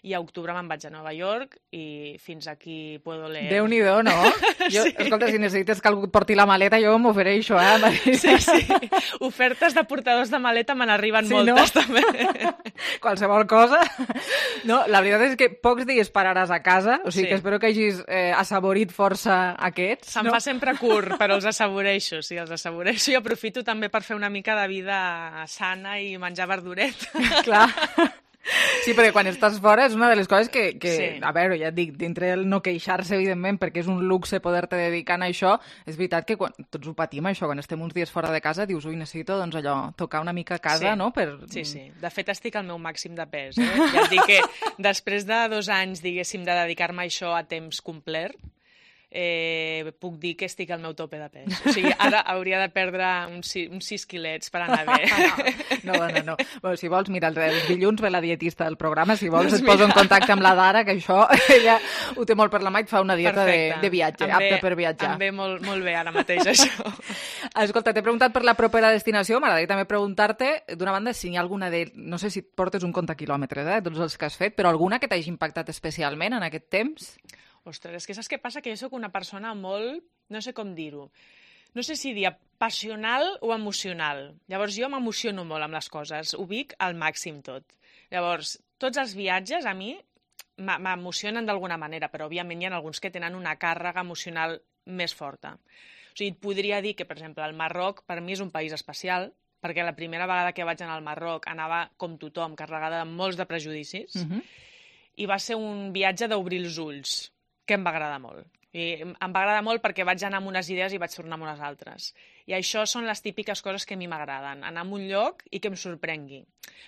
i a octubre me'n vaig a Nova York, i fins aquí puedo leer. Déu-n'hi-do, no? Jo, Sí. Escolta, si necessites que algú et porti la maleta, jo m'ofereixo, eh, Marina? Sí, sí. Ofertes de portadors de maleta me n'arriben Sí, moltes, no? també. Qualsevol cosa. No, la veritat és que pocs dies pararàs a casa, o sigui Sí. que espero que hagis eh, assaborit força aquests. Se'm no? fa sempre curt, però els assaboreixo, sí, els assaboreixo, i aprofito també per fer una mica de vida sana i menjar verduret. Clar. Sí, perquè quan estàs fora és una de les coses que, que Sí. a veure, ja et dic, dintre del no queixar-se, evidentment, perquè és un luxe poder-te dedicar a això, és veritat que quan, tots ho patim, això, quan estem uns dies fora de casa, dius, ui, necessito, doncs allò, tocar una mica a casa, Sí. no? Per... Sí, sí. De fet, estic al meu màxim de pes. Eh? Ja et dic que després de dos anys, diguéssim, de dedicar-me a això a temps complet, eh, puc dir que estic al meu tope de pes. O sigui, ara hauria de perdre uns, si- uns sis quilets per anar bé. No, no, no. Bueno, si vols, mira, el, el dilluns ve la dietista del programa, si vols Doncs et poso en mira. contacte amb la Dara, que això ella ho té molt per la mà i et fa una dieta de, Perfecte. de viatge, Em apta ve- per viatjar. Em ve molt, molt bé ara mateix, això. Escolta, t'he preguntat per la propera destinació, m'agradaria també preguntar-te, d'una banda, si hi ha alguna de... No sé si et portes un compte quilòmetres, eh, tots els que has fet, però alguna que t'hagi impactat especialment en aquest temps? Ostres, és que saps què passa? Que jo sóc una persona molt... No sé com dir-ho. No sé si dir passional o emocional. Llavors, jo m'emociono molt amb les coses. Ho vic al màxim tot. Llavors, tots els viatges a mi m'e- m'emocionen d'alguna manera, però òbviament hi ha alguns que tenen una càrrega emocional més forta. O sigui, et podria dir que, per exemple, el Marroc per mi és un país especial, perquè la primera vegada que vaig anar al Marroc anava com tothom, carregada de molts de prejudicis, Mhm. i va ser un viatge d'obrir els ulls, que em va agradar molt. I em va agradar molt perquè vaig anar amb unes idees i vaig tornar amb unes altres. I això són les típiques coses que a mi m'agraden, anar a un lloc i que em sorprengui.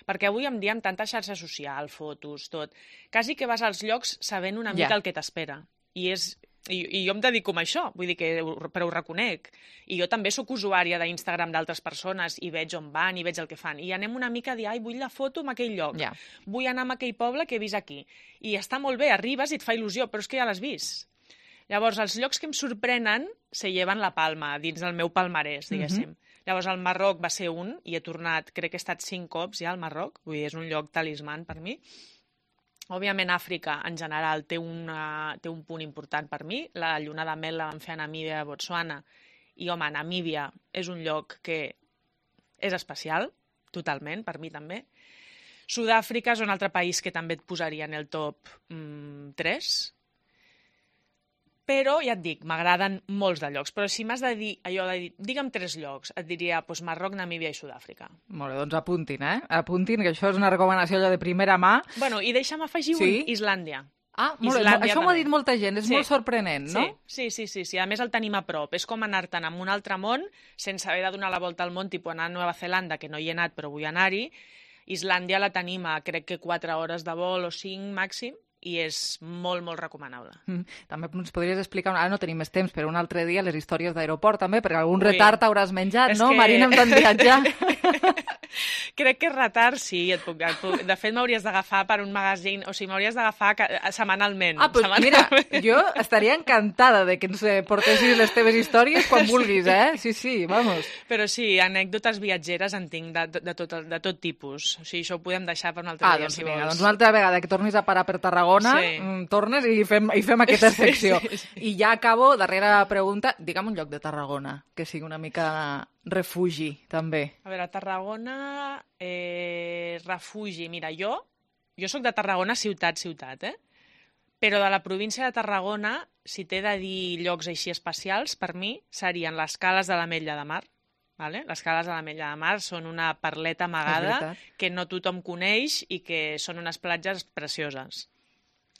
Perquè avui en dia, amb tanta xarxa social, fotos, tot, quasi que vas als llocs sabent una mica Ja. el que t'espera. I és... I, I jo em dedico a això, vull dir que, però ho reconec. I jo també sóc usuària d'Instagram d'altres persones i veig on van i veig el que fan. I anem una mica a dir, ai, vull la foto en aquell lloc. Ja. Vull anar a aquell poble que he vist aquí. I està molt bé, arribes i et fa il·lusió, però és que ja l'has vist. Llavors, els llocs que em sorprenen se lleven la palma dins del meu palmarès, diguéssim. Mm-hmm. Llavors, el Marroc va ser un, i he tornat, crec que he estat cinc cops ja al Marroc, vull dir, és un lloc talisman per mi. Òbviament, Àfrica, en general, té, una, té un punt important per mi. La lluna de mel la vam fer a Namíbia, a Botswana. I, home, Namíbia és un lloc que és especial, totalment, per mi també. Sud-àfrica és un altre país que també et posaria en el top mm, tres. Però, ja et dic, m'agraden molts de llocs. Però si m'has de dir, allò de dir, digue'm tres llocs, et diria doncs, Marroc, Namíbia i Sud-àfrica. Molt bé, doncs apuntin, eh? Apuntin, que això és una recomanació allò de primera mà. Bueno, i deixa'm afegir Sí? un, Islàndia. Ah, molt bé. Islàndia Això m'ho ha també. dit molta gent, és Sí. molt sorprenent, no? Sí, sí, sí, sí. A més el tenim a prop. És com anar-te'n a un altre món sense haver de donar la volta al món, tipus anar a Nova Zelanda, que no hi he anat però vull anar-hi. Islàndia la tenim a crec que quatre hores de vol o cinc màxim i és molt, molt recomanable. Mm. També ens podries explicar, ara no tenim més temps, però un altre dia les històries d'aeroport també, perquè algun Ui. retard hauràs menjat, És no, que- Marina, amb tant viatjar? Crec que retard sí. Et puc, et puc... De fet, m'hauries d'agafar per un magazine, o sigui, m'hauries d'agafar ca- setmanalment. Ah, doncs setmanalment. mira, jo estaria encantada de que ens eh, portessis les teves històries quan vulguis, eh? Sí, sí, vamos. Però sí, anècdotes viatgeres en tinc de, de, de, tot, de tot tipus. O sigui, això ho podem deixar per un altre Ah, dia, doncs si vinga, vols. doncs una altra vegada que tornis a parar per Tarragona, Sí. mm, tornes i fem, i fem aquesta Sí, secció. sí, sí. I ja acabo, darrera pregunta, digue'm un lloc de Tarragona, que sigui una mica refugi, també. A veure, a Tarragona, eh, refugi. Mira, jo, jo sóc de Tarragona ciutat, ciutat, eh? Però de la província de Tarragona, si t'he de dir llocs així especials, per mi serien les cales de l'Ametlla de Mar. Vale? Les cales de l'Ametlla de Mar són una perleta amagada veritat. que no tothom coneix i que són unes platges precioses.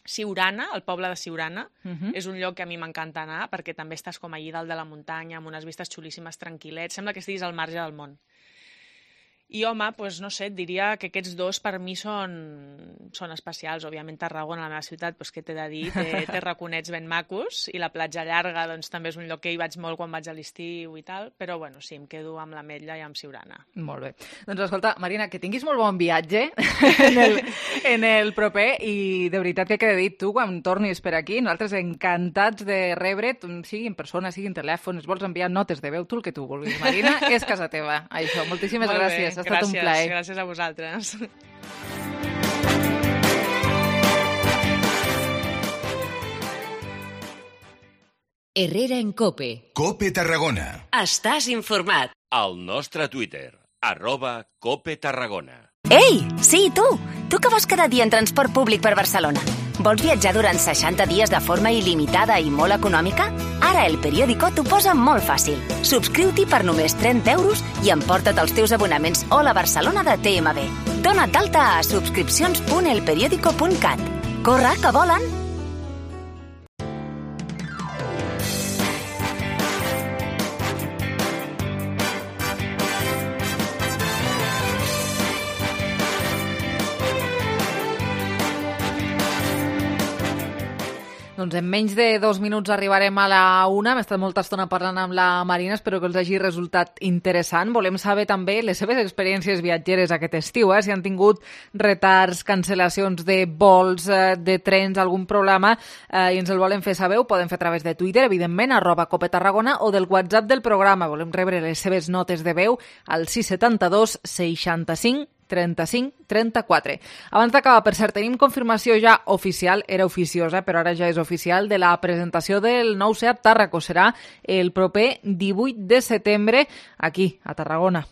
Siurana, el poble de Siurana, Mhm. és un lloc que a mi m'encanta anar perquè també estàs com allí dalt de la muntanya amb unes vistes xulíssimes, tranquil·lets, sembla que estiguis al marge del món. I, home, doncs, no sé, et diria que aquests dos per mi són, són especials. Òbviament, Tarragona, la meva ciutat, doncs, què t'he de dir? Té, té raconets ben macos i la platja llarga doncs, també és un lloc que hi vaig molt quan vaig a l'estiu i tal, però, bueno, sí, em quedo amb l'Ametlla i amb Siurana. Molt bé. Doncs escolta, Marina, que tinguis molt bon viatge en el, en el proper i de veritat que queda dit, tu quan tornis per aquí, nosaltres encantats de rebre't, sigui en persona, sigui en telèfon, es vols enviar notes de veu, tu el que tu vulguis. Marina, és casa teva, això. Moltíssimes Molt gràcies, bé, ha estat un gràcies, plaer. Gràcies a vosaltres. Herrera en Cope. Cope Tarragona. Estàs informat. Al nostre Twitter, arroba Cope Tarragona. Ei, sí, tu! Tu que vols cada dia en transport públic per Barcelona. Vols viatjar durant seixanta dies de forma il·limitada i molt econòmica? Ara El Periódico t'ho posa molt fàcil. Subscriu-t'hi per només trenta euros i emporta't els teus abonaments Hola Barcelona de T M B. Dona't d'alta a subscripcions punt el periódico punt cat. Corre, que volen! Doncs en menys de dos minuts arribarem a la una. Hem estat molta estona parlant amb la Marina, espero que els hagi resultat interessant. Volem saber també les seves experiències viatgeres aquest estiu, eh? Si han tingut retards, cancel·lacions de vols, eh, de trens, algun problema, eh, i ens el volen fer saber, ho poden fer a través de Twitter, evidentment, arroba Cope Tarragona, o del WhatsApp del programa. Volem rebre les seves notes de veu al sis setanta dos seixanta-cinc trenta-cinc trenta-quatre. Abans d'acabar, per cert, tenim confirmació ja oficial, era oficiosa, però ara ja és oficial, de la presentació del nou Seat Tarraco. Serà el proper divuit de setembre aquí, a Tarragona.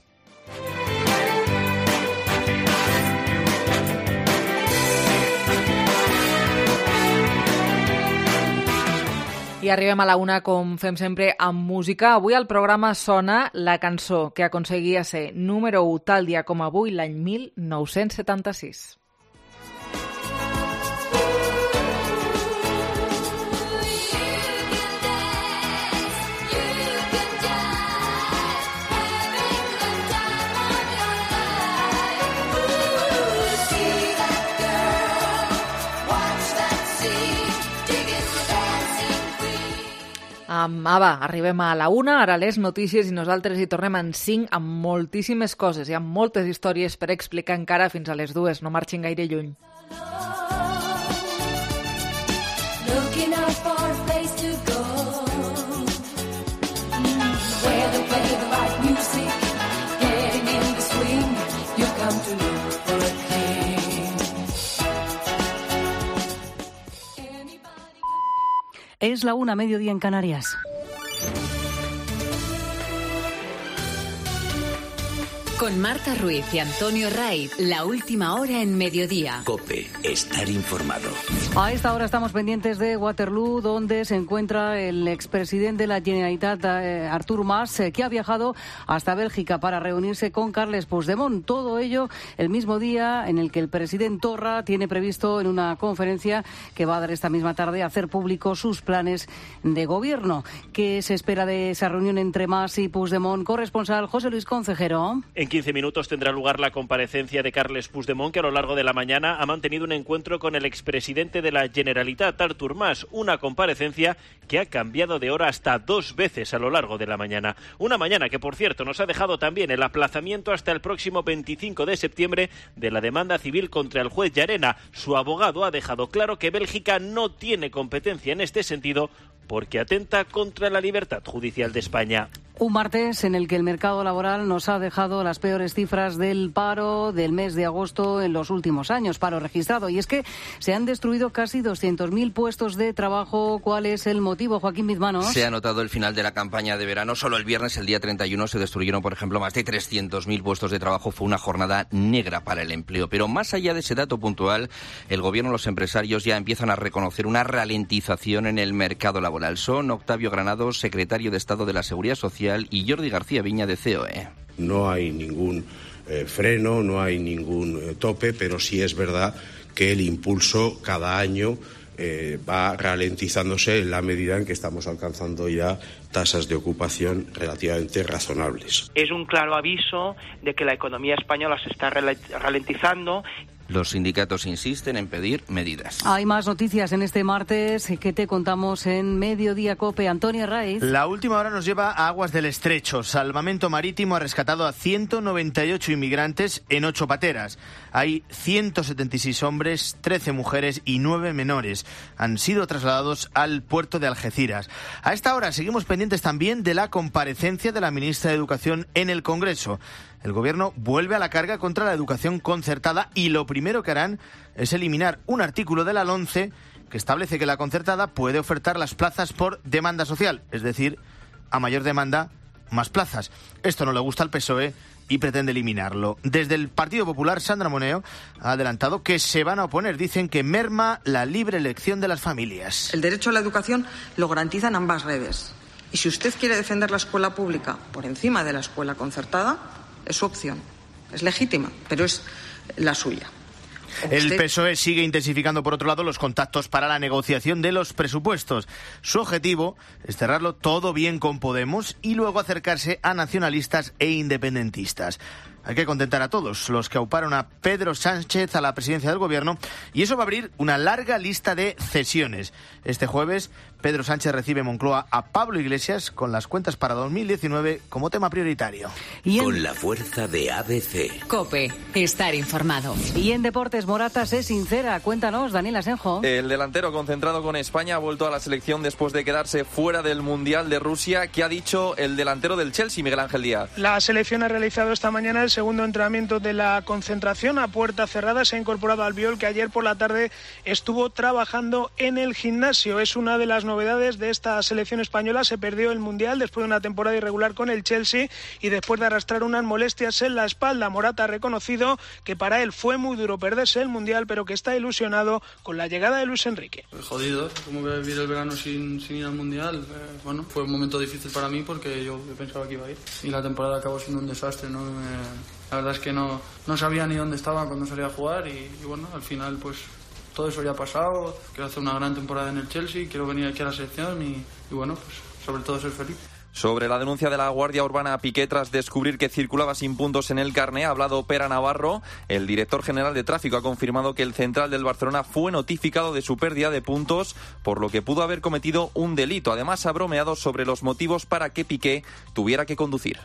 I arribem a la una, com fem sempre, amb música. Avui al programa sona la cançó que aconseguia ser número u tal dia com avui l'any mil nou-cents setanta-sis. Um, Ava, arribem a la una, ara les notícies, i nosaltres hi tornem en cinc amb moltíssimes coses. Hi ha moltes històries per explicar encara fins a les dues. No marxin gaire lluny. Looking out for a place to go, where they play the right music, getting in the swing, you come to look for a king. Es la una, mediodía en Canarias. Con Marta Ruiz y Antonio Raiz, la última hora en mediodía. COPE, estar informado. A esta hora estamos pendientes de Waterloo, donde se encuentra el expresidente de la Generalitat, eh, Artur Mas, eh, que ha viajado hasta Bélgica para reunirse con Carles Puigdemont. Todo ello el mismo día en el que el presidente Torra tiene previsto en una conferencia que va a dar esta misma tarde hacer público sus planes de gobierno. ¿Qué se espera de esa reunión entre Mas y Puigdemont? Corresponsal José Luis Concejero. En quince minutos tendrá lugar la comparecencia de Carles Puigdemont, que a lo largo de la mañana ha mantenido un encuentro con el expresidente de la Generalitat, Artur Mas, una comparecencia que ha cambiado de hora hasta dos veces a lo largo de la mañana. Una mañana que, por cierto, nos ha dejado también el aplazamiento hasta el próximo veinticinco de septiembre de la demanda civil contra el juez Llarena. Su abogado ha dejado claro que Bélgica no tiene competencia en este sentido porque atenta contra la libertad judicial de España. Un martes en el que el mercado laboral nos ha dejado las peores cifras del paro del mes de agosto en los últimos años, paro registrado. Y es que se han destruido casi doscientos mil puestos de trabajo. ¿Cuál es el motivo, Joaquín Bizmanos? Se ha notado el final de la campaña de verano. Solo el viernes, el día treinta y uno, se destruyeron, por ejemplo, más de trescientos mil puestos de trabajo. Fue una jornada negra para el empleo. Pero más allá de ese dato puntual, el gobierno y los empresarios ya empiezan a reconocer una ralentización en el mercado laboral. Son Octavio Granados, secretario de Estado de la Seguridad Social, y Jordi García Viña, de C O E. No hay ningún eh, freno, no hay ningún eh, tope, pero sí es verdad que el impulso cada año eh, va ralentizándose en la medida en que estamos alcanzando ya tasas de ocupación relativamente razonables. Es un claro aviso de que la economía española se está ralentizando. Los sindicatos insisten en pedir medidas. Hay más noticias en este martes que te contamos en Mediodía COPE. Antonio Raiz. La última hora nos lleva a aguas del Estrecho. Salvamento Marítimo ha rescatado a ciento noventa y ocho inmigrantes en ocho pateras. Hay ciento setenta y seis hombres, trece mujeres y nueve menores. Han sido trasladados al puerto de Algeciras. A esta hora seguimos pendientes también de la comparecencia de la ministra de Educación en el Congreso. El Gobierno vuelve a la carga contra la educación concertada y lo primero que harán es eliminar un artículo de la LOMCE que establece que la concertada puede ofertar las plazas por demanda social, es decir, a mayor demanda, más plazas. Esto no le gusta al P S O E y pretende eliminarlo. Desde el Partido Popular, Sandra Moneo ha adelantado que se van a oponer. Dicen que merma la libre elección de las familias. El derecho a la educación lo garantizan ambas redes. Y si usted quiere defender la escuela pública por encima de la escuela concertada, es su opción. Es legítima, pero es la suya. El P S O E sigue intensificando, por otro lado, los contactos para la negociación de los presupuestos. Su objetivo es cerrarlo todo bien con Podemos y luego acercarse a nacionalistas e independentistas. Hay que contentar a todos los que auparon a Pedro Sánchez a la presidencia del Gobierno, y eso va a abrir una larga lista de cesiones. Este jueves, Pedro Sánchez recibe en Moncloa a Pablo Iglesias con las cuentas para dos mil diecinueve como tema prioritario. Y en... Con la fuerza de A B C. COPE, estar informado. Y en deportes, Morata se sincera. Cuéntanos, Daniel Asenjo. El delantero concentrado con España ha vuelto a la selección después de quedarse fuera del Mundial de Rusia. ¿Qué ha dicho el delantero del Chelsea, Miguel Ángel Díaz? La selección ha realizado esta mañana el segundo entrenamiento de la concentración a puerta cerrada. Se ha incorporado al Albiol, que ayer por la tarde estuvo trabajando en el gimnasio. Es una de las novedades de esta selección española. Se perdió el Mundial después de una temporada irregular con el Chelsea y después de arrastrar unas molestias en la espalda. Morata ha reconocido que para él fue muy duro perderse el Mundial, pero que está ilusionado con la llegada de Luis Enrique. Jodido, como que vivir el verano sin, sin ir al Mundial. Eh, bueno, fue un momento difícil para mí porque yo pensaba que iba a ir y la temporada acabó siendo un desastre, ¿no? Eh, La verdad es que no, no sabía ni dónde estaba cuando salía a jugar y, y bueno, al final pues todo eso ya ha pasado. Quiero hacer una gran temporada en el Chelsea, quiero venir aquí a la selección y, y bueno, pues sobre todo ser feliz. Sobre la denuncia de la Guardia Urbana a Piqué tras descubrir que circulaba sin puntos en el carné, ha hablado Pere Navarro. El director general de tráfico ha confirmado que el central del Barcelona fue notificado de su pérdida de puntos, por lo que pudo haber cometido un delito. Además, ha bromeado sobre los motivos para que Piqué tuviera que conducir.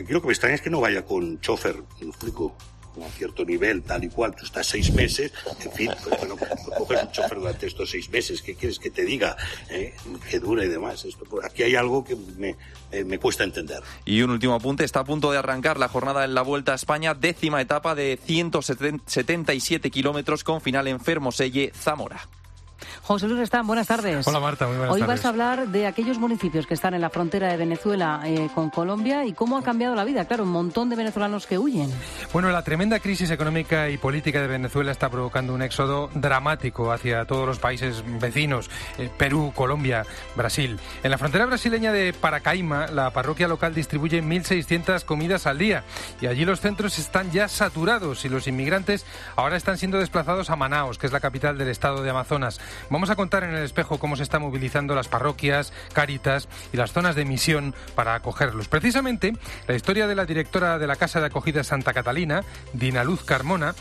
Aquí lo que me extraña es que no vaya con chofer, me lo explico, con cierto nivel, tal y cual. Tú estás seis meses, en fin, pues, bueno, pues, coges un chofer durante estos seis meses, ¿qué quieres que te diga? ¿Eh? Que dura y demás. Esto, pues, aquí hay algo que me, eh, me cuesta entender. Y un último apunte, está a punto de arrancar la jornada en la Vuelta a España, décima etapa de ciento setenta y siete kilómetros con final en Fermoselle, Zamora. José Luis Restán, buenas tardes. Hola Marta, muy buenas Hoy tardes. vas a hablar de aquellos municipios que están en la frontera de Venezuela eh, con Colombia y cómo ha cambiado la vida. Claro, un montón de venezolanos que huyen. Bueno, la tremenda crisis económica y política de Venezuela está provocando un éxodo dramático hacia todos los países vecinos, eh, Perú, Colombia, Brasil. En la frontera brasileña de Paracaima, la parroquia local distribuye mil seiscientas comidas al día y allí los centros están ya saturados y los inmigrantes ahora están siendo desplazados a Manaos, que es la capital del estado de Amazonas. Vamos a contar en el espejo cómo se están movilizando las parroquias, Cáritas y las zonas de misión para acogerlos. Precisamente, la historia de la directora de la Casa de Acogida Santa Catalina, Dina Luz Carmona,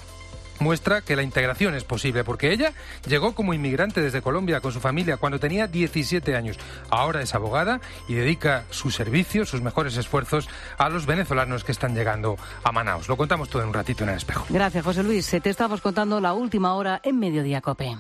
muestra que la integración es posible, porque ella llegó como inmigrante desde Colombia con su familia cuando tenía diecisiete años. Ahora es abogada y dedica sus servicios, sus mejores esfuerzos a los venezolanos que están llegando a Manaos. Lo contamos todo en un ratito en el espejo. Gracias, José Luis. Te estamos contando la última hora en Mediodía Cope.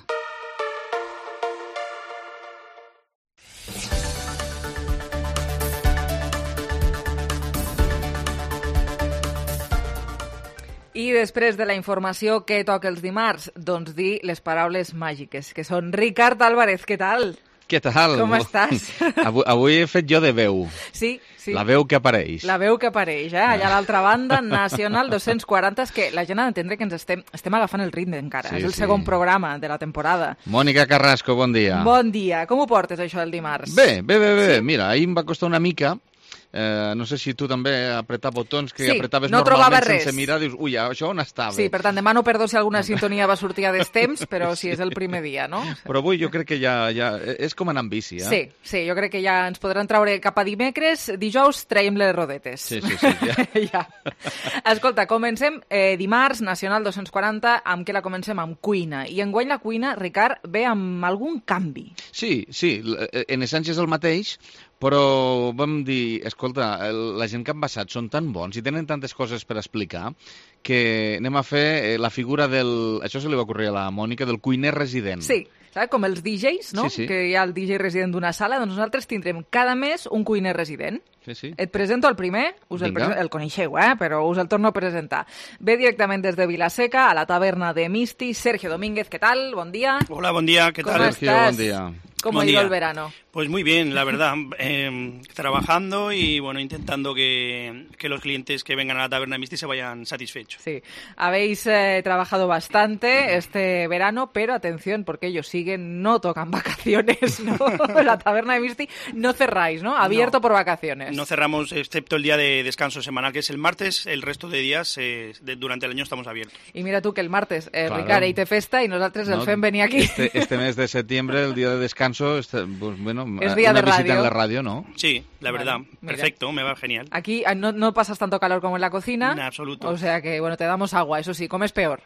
I després de la informació que toca els dimarts, doncs dir les paraules màgiques, que són Ricard Álvarez, què tal? Què tal? Com estàs? Avui, avui he fet jo de veu. Sí, sí. La veu que apareix. La veu que apareix, eh? Allà a l'altra banda, Nacional dos-cents quaranta, és que la gent ha d'entendre que ens estem, estem agafant el ritme encara. Sí, és el sí. segon programa de la temporada. Mònica Carrasco, bon dia. Bon dia. Com ho portes, això, el dimarts? Bé, bé, bé, bé. Sí? Mira, ahir em va costar una mica. Eh, no sé si tu també apretar botons que Sí, apretaves no trobava normalment res. sense mirar, dius, ui, això on estava? Sí, per tant, demano perdó si alguna sintonia va sortir a destemps, però si és el primer dia, no? Però avui jo crec que ja, ja és com anar amb bici, eh? Sí, sí, jo crec que ja ens podran traure cap a dimecres, dijous traiem les rodetes. Sí, sí, sí. Ja. ja. Escolta, comencem eh, dimarts, Nacional dos-cents quaranta, amb què la comencem? Amb cuina. I enguany la cuina, Ricard, ve amb algun canvi. Sí, sí, en essència és el mateix, però vam dir, escolta, la gent que han passat són tan bons i tenen tantes coses per explicar que anem a fer la figura del... Això se li va ocórrer a la Mònica, del cuiner resident. Sí, saps? Com els D Js, no? Sí, sí. Que hi ha el D J resident d'una sala, doncs nosaltres tindrem cada mes un cuiner resident. Sí, sí. Et presento el primer, us el, Vinga. presen- el coneixeu, eh? Però us el torno a presentar. Ve directament des de Vilaseca, a la taverna de Misti, Sergio Domínguez, ¿qué tal? Bon día. Hola, buen día, ¿qué ¿Cómo tal? estás? Buen día. ¿Cómo Buen ha ido día. el verano? Pues muy bien, la verdad. Eh, trabajando y bueno, intentando que, que los clientes que vengan a la taberna de Misti se vayan satisfechos. Sí, habéis eh, trabajado bastante este verano, pero atención, porque ellos siguen, no tocan vacaciones, ¿no? La taberna de Misti no cerráis, ¿no? Abierto No. por vacaciones. No cerramos excepto el día de descanso semanal, que es el martes. El resto de días eh, de- durante el año estamos abiertos. Y mira tú que el martes, eh, Claro. Ricard, ahí te festa y nosotros el No, FEM venía aquí. Este, este mes de septiembre, el día de descanso, este, pues, bueno, Es día una de visita radio. en la radio, ¿no? Sí, la Vale, verdad. mira. Perfecto, me va genial. Aquí ah, no, no pasas tanto calor como en la cocina. En absoluto. O sea que, bueno, te damos agua, eso sí, comes peor.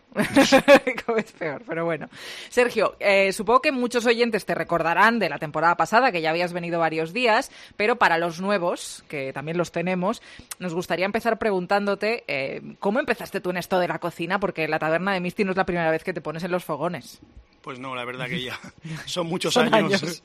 comes peor, pero bueno. Sergio, eh, supongo que muchos oyentes te recordarán de la temporada pasada, que ya habías venido varios días, pero para los nuevos, que también los tenemos, nos gustaría empezar preguntándote eh, ¿cómo empezaste tú en esto de la cocina? Porque la taberna de Misti no es la primera vez que te pones en los fogones. Pues no, la verdad que ya son muchos Son años. años.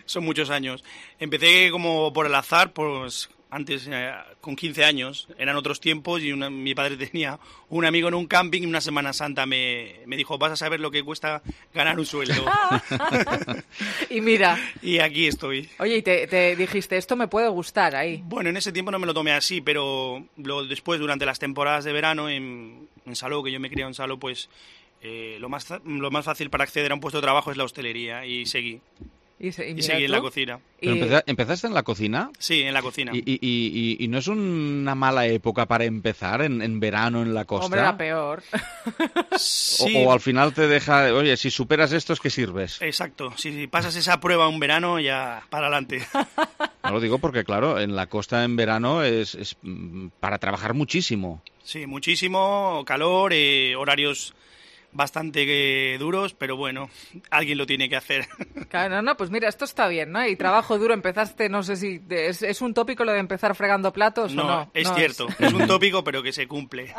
Son muchos años. Empecé como por el azar, pues antes eh, con quince años, eran otros tiempos y una- mi padre tenía un amigo en un camping y una Semana Santa me, me dijo, vas a saber lo que cuesta ganar un sueldo. Y mira, Y aquí estoy. oye, y te, te dijiste, esto me puede gustar ahí. Bueno, en ese tiempo no me lo tomé así, pero lo, después, durante las temporadas de verano en, en Salou, que yo me crié en Salou, pues eh, lo, más, fa- lo más fácil para acceder a un puesto de trabajo es la hostelería y seguí. Y, se, y, y seguí en la cocina. ¿Pero empeza, ¿Empezaste en la cocina? Sí, en la cocina. ¿Y, y, y, y no es una mala época para empezar en, en verano en la costa? Hombre, la peor. Sí. O, o al final te deja, oye, si superas esto es que sirves. Exacto, si, si pasas esa prueba un verano ya para adelante. No lo digo porque, claro, en la costa en verano es, es para trabajar muchísimo. Sí, muchísimo, calor, eh, horarios bastante eh, duros, pero bueno, alguien lo tiene que hacer. Claro, no, no, pues mira, esto está bien, ¿no? Y trabajo duro, empezaste, no sé si... ¿Es, es un tópico lo de empezar fregando platos no, o no? Es no, cierto, es... es un tópico, pero que se cumple.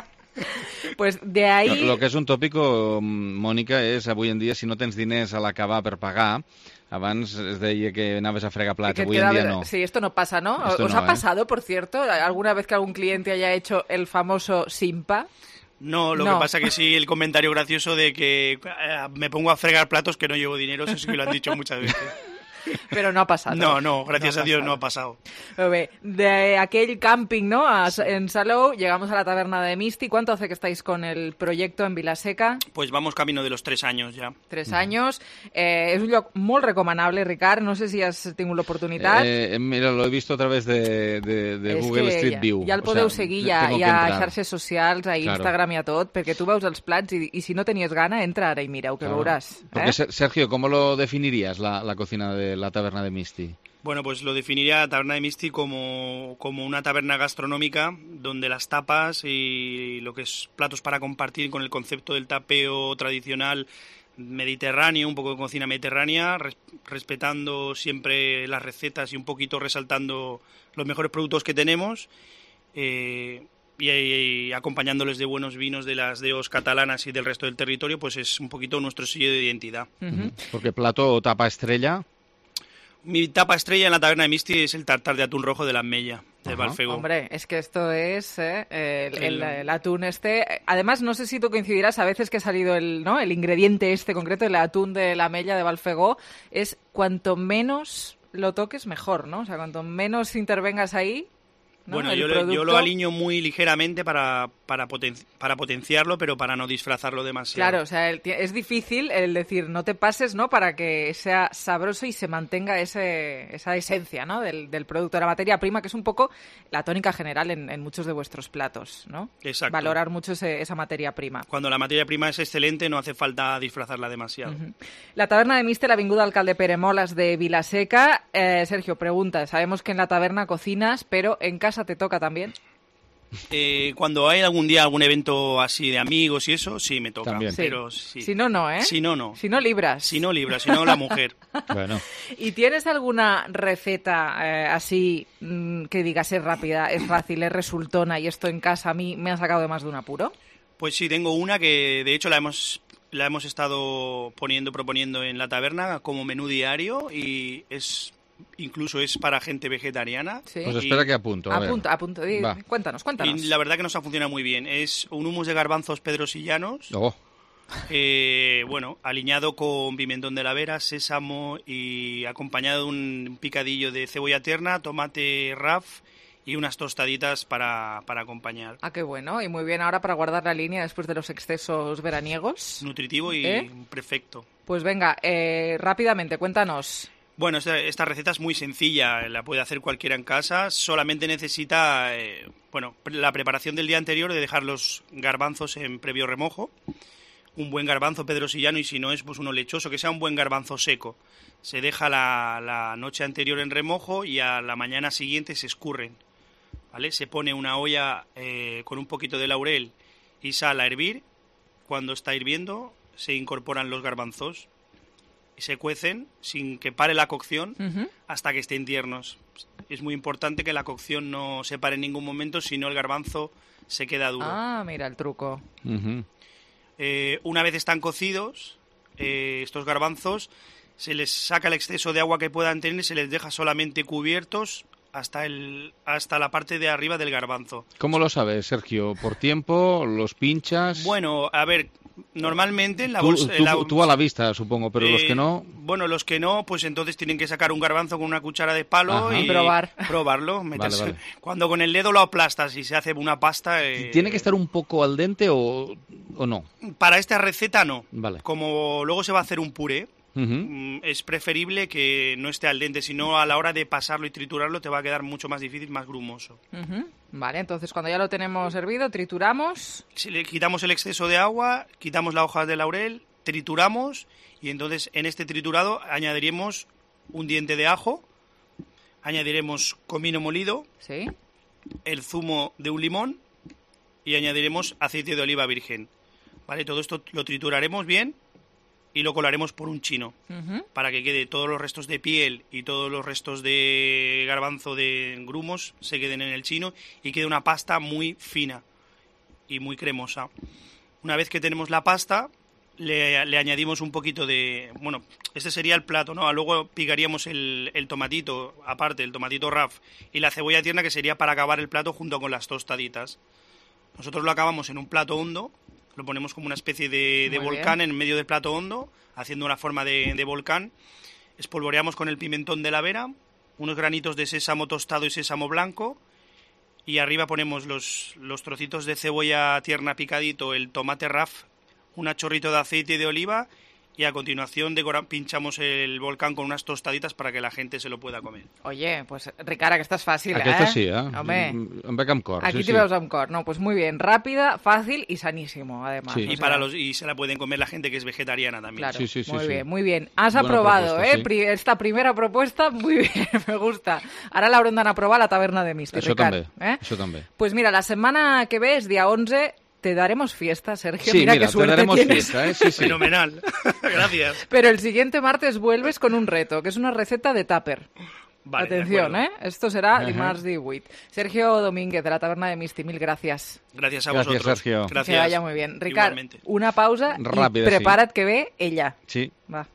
Pues de ahí... Lo, lo que és un tòpico, Mònica, és avui en dia si no tens diners a l'acabar per pagar, abans es deia que anaves a fregar plats, avui en dia no. Sí, esto no pasa, ¿no? Esto ¿Os no, ha ¿eh? pasado, por cierto, alguna vez que algún cliente haya hecho el famoso simpa? No, lo No. que pasa que sí, el comentario gracioso de que eh, me pongo a fregar platos que no llevo dinero, eso sí que lo han dicho muchas veces. Pero no ha pasado. No, no, gracias No ha a Dios pasado. no ha pasado. Pero ve, de aquel camping, ¿no? A- en Salou, llegamos a la taberna de Misti. ¿Cuánto hace que estáis con el proyecto en Vilaseca? Pues vamos camino de los tres años ya. Tres anys. Eh, és un lloc molt recomanable, Ricard. No sé si has tingut l'oportunitat. Eh, mira, lo he visto a través de, de, de És Google que Street ja, View. ja el O podeu sea, seguir ja, tengo que ja a entrar. xarxes socials, a Claro. Instagram i a tot, perquè tu veus els plats i, i si no tenies gana, entra ara i mireu, que Claro. veuràs. Porque, Eh? Ser- Sergio, ¿cómo lo definirías la, la cocina de la taberna de Misti? Bueno, pues lo definiría la taberna de Misti como, como una taberna gastronómica donde las tapas y lo que es platos para compartir con el concepto del tapeo tradicional mediterráneo, un poco de cocina mediterránea, res- respetando siempre las recetas y un poquito resaltando los mejores productos que tenemos eh, y, y acompañándoles de buenos vinos de las deos catalanas y del resto del territorio, pues es un poquito nuestro sello de identidad. Mhm. Porque plato o tapa estrella... Mi tapa estrella en la taberna de Misti es el tartar de atún rojo de la Mella, de Ajá. Valfegó. Hombre, es que esto es eh, el, el- El- el atún este. Además, no sé si tú coincidirás, a veces que ha salido el, ¿no? el ingrediente este concreto, el atún de la Mella de Valfegó, es cuanto menos lo toques, mejor, ¿no? O sea, cuanto menos intervengas ahí, ¿no? Bueno, El yo, lo- yo producto- lo aliño muy ligeramente para, para, poten- para potenciarlo, pero para no disfrazarlo demasiado. Claro, o sea, el ti- es difícil el decir no te pases, ¿no? Para que sea sabroso y se mantenga ese, esa esencia, ¿no? Del, del producto, de la materia prima, que es un poco la tónica general en, en muchos de vuestros platos, ¿no? Exacto. Valorar mucho ese- esa materia prima. Cuando la materia prima es excelente, no hace falta disfrazarla demasiado. La taberna de Mister, Avinguda Alcalde Pere Molas de Vilaseca. Eh, Sergio, pregunta, sabemos que en la taberna cocinas, pero ¿en casa te toca también? Eh, cuando hay algún día algún evento así de amigos y eso, sí me toca. También. Pero Sí. sí. Si no, no, ¿eh? Si no, no. Si no, libras. Si no, libra, si no, la mujer. Bueno. ¿Y tienes alguna receta eh, así mm, que digas es rápida, es fácil, es resultona y esto en casa a mí me ha sacado de más de un apuro? Pues sí, tengo una que de hecho la hemos la hemos estado poniendo, proponiendo en la taberna como menú diario y es incluso es para gente vegetariana. Sí. Pues Y- espera que apunto. A ver. Apunta, apunta, di- Va. cuéntanos, cuéntanos. Y la verdad que nos ha funcionado muy bien. Es un hummus de garbanzos pedrosillanos, Oh, eh, bueno, aliñado con pimentón de la Vera, sésamo y acompañado de un picadillo de cebolla tierna, tomate raf y unas tostaditas para, para acompañar. Ah, qué bueno, y muy bien ahora para guardar la línea después de los excesos veraniegos. Nutritivo y ¿Eh? perfecto. Pues venga, eh, rápidamente, cuéntanos. Bueno, esta, esta receta es muy sencilla, la puede hacer cualquiera en casa, solamente necesita, eh, bueno, pre- la preparación del día anterior de dejar los garbanzos en previo remojo, un buen garbanzo pedrosillano y si no es pues uno lechoso, que sea un buen garbanzo seco. Se deja la, la noche anterior en remojo y a la mañana siguiente se escurren, ¿vale? Se pone una olla eh, con un poquito de laurel y sal a hervir, cuando está hirviendo se incorporan los garbanzos y se cuecen sin que pare la cocción Ujú. hasta que estén tiernos. Es muy importante que la cocción no se pare en ningún momento, si no el garbanzo se queda duro. Ah, mira el truco. ujú. Eh, una vez están cocidos, eh, estos garbanzos, se les saca el exceso de agua que puedan tener y se les deja solamente cubiertos hasta, el, hasta la parte de arriba del garbanzo. ¿Cómo lo sabes, Sergio? ¿Por tiempo? ¿Los pinchas? Bueno, a ver, normalmente en la tú, bolsa... tú- en la- tú a la vista, supongo, pero los Eh, que no... Bueno, los que no, pues entonces tienen que sacar un garbanzo con una cuchara de palo Ajá. y Y probar. probarlo. meterse- vale. Cuando con el dedo lo aplastas y se hace una pasta... eh, ¿Tiene que estar un poco al dente o, o no? Para esta receta no. Vale. Como luego se va a hacer un puré, Uh-huh. Es preferible que no esté al dente, si no a la hora de pasarlo y triturarlo te va a quedar mucho más difícil, más grumoso. Uh-huh. Vale, entonces cuando ya lo tenemos hervido, trituramos. Si le quitamos el exceso de agua, quitamos la hoja de laurel, trituramos y entonces en este triturado añadiremos un diente de ajo, añadiremos comino molido, ¿sí?, el zumo de un limón y añadiremos aceite de oliva virgen. Vale, todo esto lo trituraremos bien y lo colaremos por un chino, uh-huh, para que quede todos los restos de piel y todos los restos de garbanzo de grumos se queden en el chino y quede una pasta muy fina y muy cremosa. Una vez que tenemos la pasta, le, le añadimos un poquito de... Bueno, este sería el plato, ¿no? Luego picaríamos el, el tomatito, aparte, el tomatito raf y la cebolla tierna, que sería para acabar el plato junto con las tostaditas. Nosotros lo acabamos en un plato hondo, lo ponemos como una especie de, de volcán bien en medio del plato hondo, haciendo una forma de, de volcán. Espolvoreamos con el pimentón de la Vera, unos granitos de sésamo tostado y sésamo blanco, y arriba ponemos los, los trocitos de cebolla tierna picadito, el tomate raf, un chorrito de aceite de oliva, y a continuación decora, pinchamos el volcán con unas tostaditas para que la gente se lo pueda comer. Oye, pues Ricard, aquesta és fàcil, Aquesta eh? sí, eh? Home. Em veig amb cor. Aquí sí, te sí. veus amb cor. No, pues muy bien, rápida, fácil y sanísimo, además. Sí. Y, o sea, para los, y se la pueden comer la gente que es vegetariana también. Claro, Sí, sí, sí, muy sí. bien, muy bien. Has Buena aprobado, propuesta, ¿eh? sí. Pri- Esta primera propuesta, muy bien, me gusta. Ara l'haurem d'anar a provar a la taverna de Misti, Això Ricard. també, ¿eh? això també. Pues mira, la semana que ve es día once, te daremos fiesta, Sergio. Sí, mira, mira, qué suerte te daremos tienes. fiesta, ¿eh? Sí, sí. Fenomenal. Gracias. Pero el siguiente martes vuelves con un reto, que es una receta de tupper. Vale, de Atención, acuerdo. ¿eh? Esto será Ajá. dimarts divuit. Sergio Domínguez, de la taberna de Misti, mil gracias. Gracias a Gracias, vosotros. Sergio. Que Gracias. vaya muy bien. Ricard, Igualmente. una pausa Ràpida, y sí. prepara't que ve ella. Sí. Va.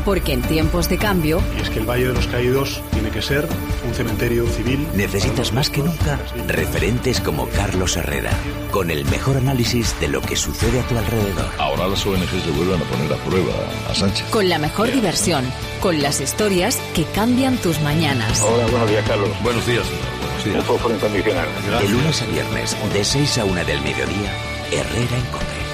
Porque en tiempos de cambio, Y es que el Valle de los Caídos tiene que ser un cementerio civil. Necesitas más que nunca referentes como Carlos Herrera, con el mejor análisis de lo que sucede a tu alrededor. Ahora las O N G se vuelven a poner a prueba a Sánchez. con la mejor diversión, con las historias que cambian tus mañanas. Hola, buenos días, Carlos. Buenos días. Buenos días. Un fósforo incondicional. De lunes a viernes, de seis a una del mediodía, Herrera en COPE.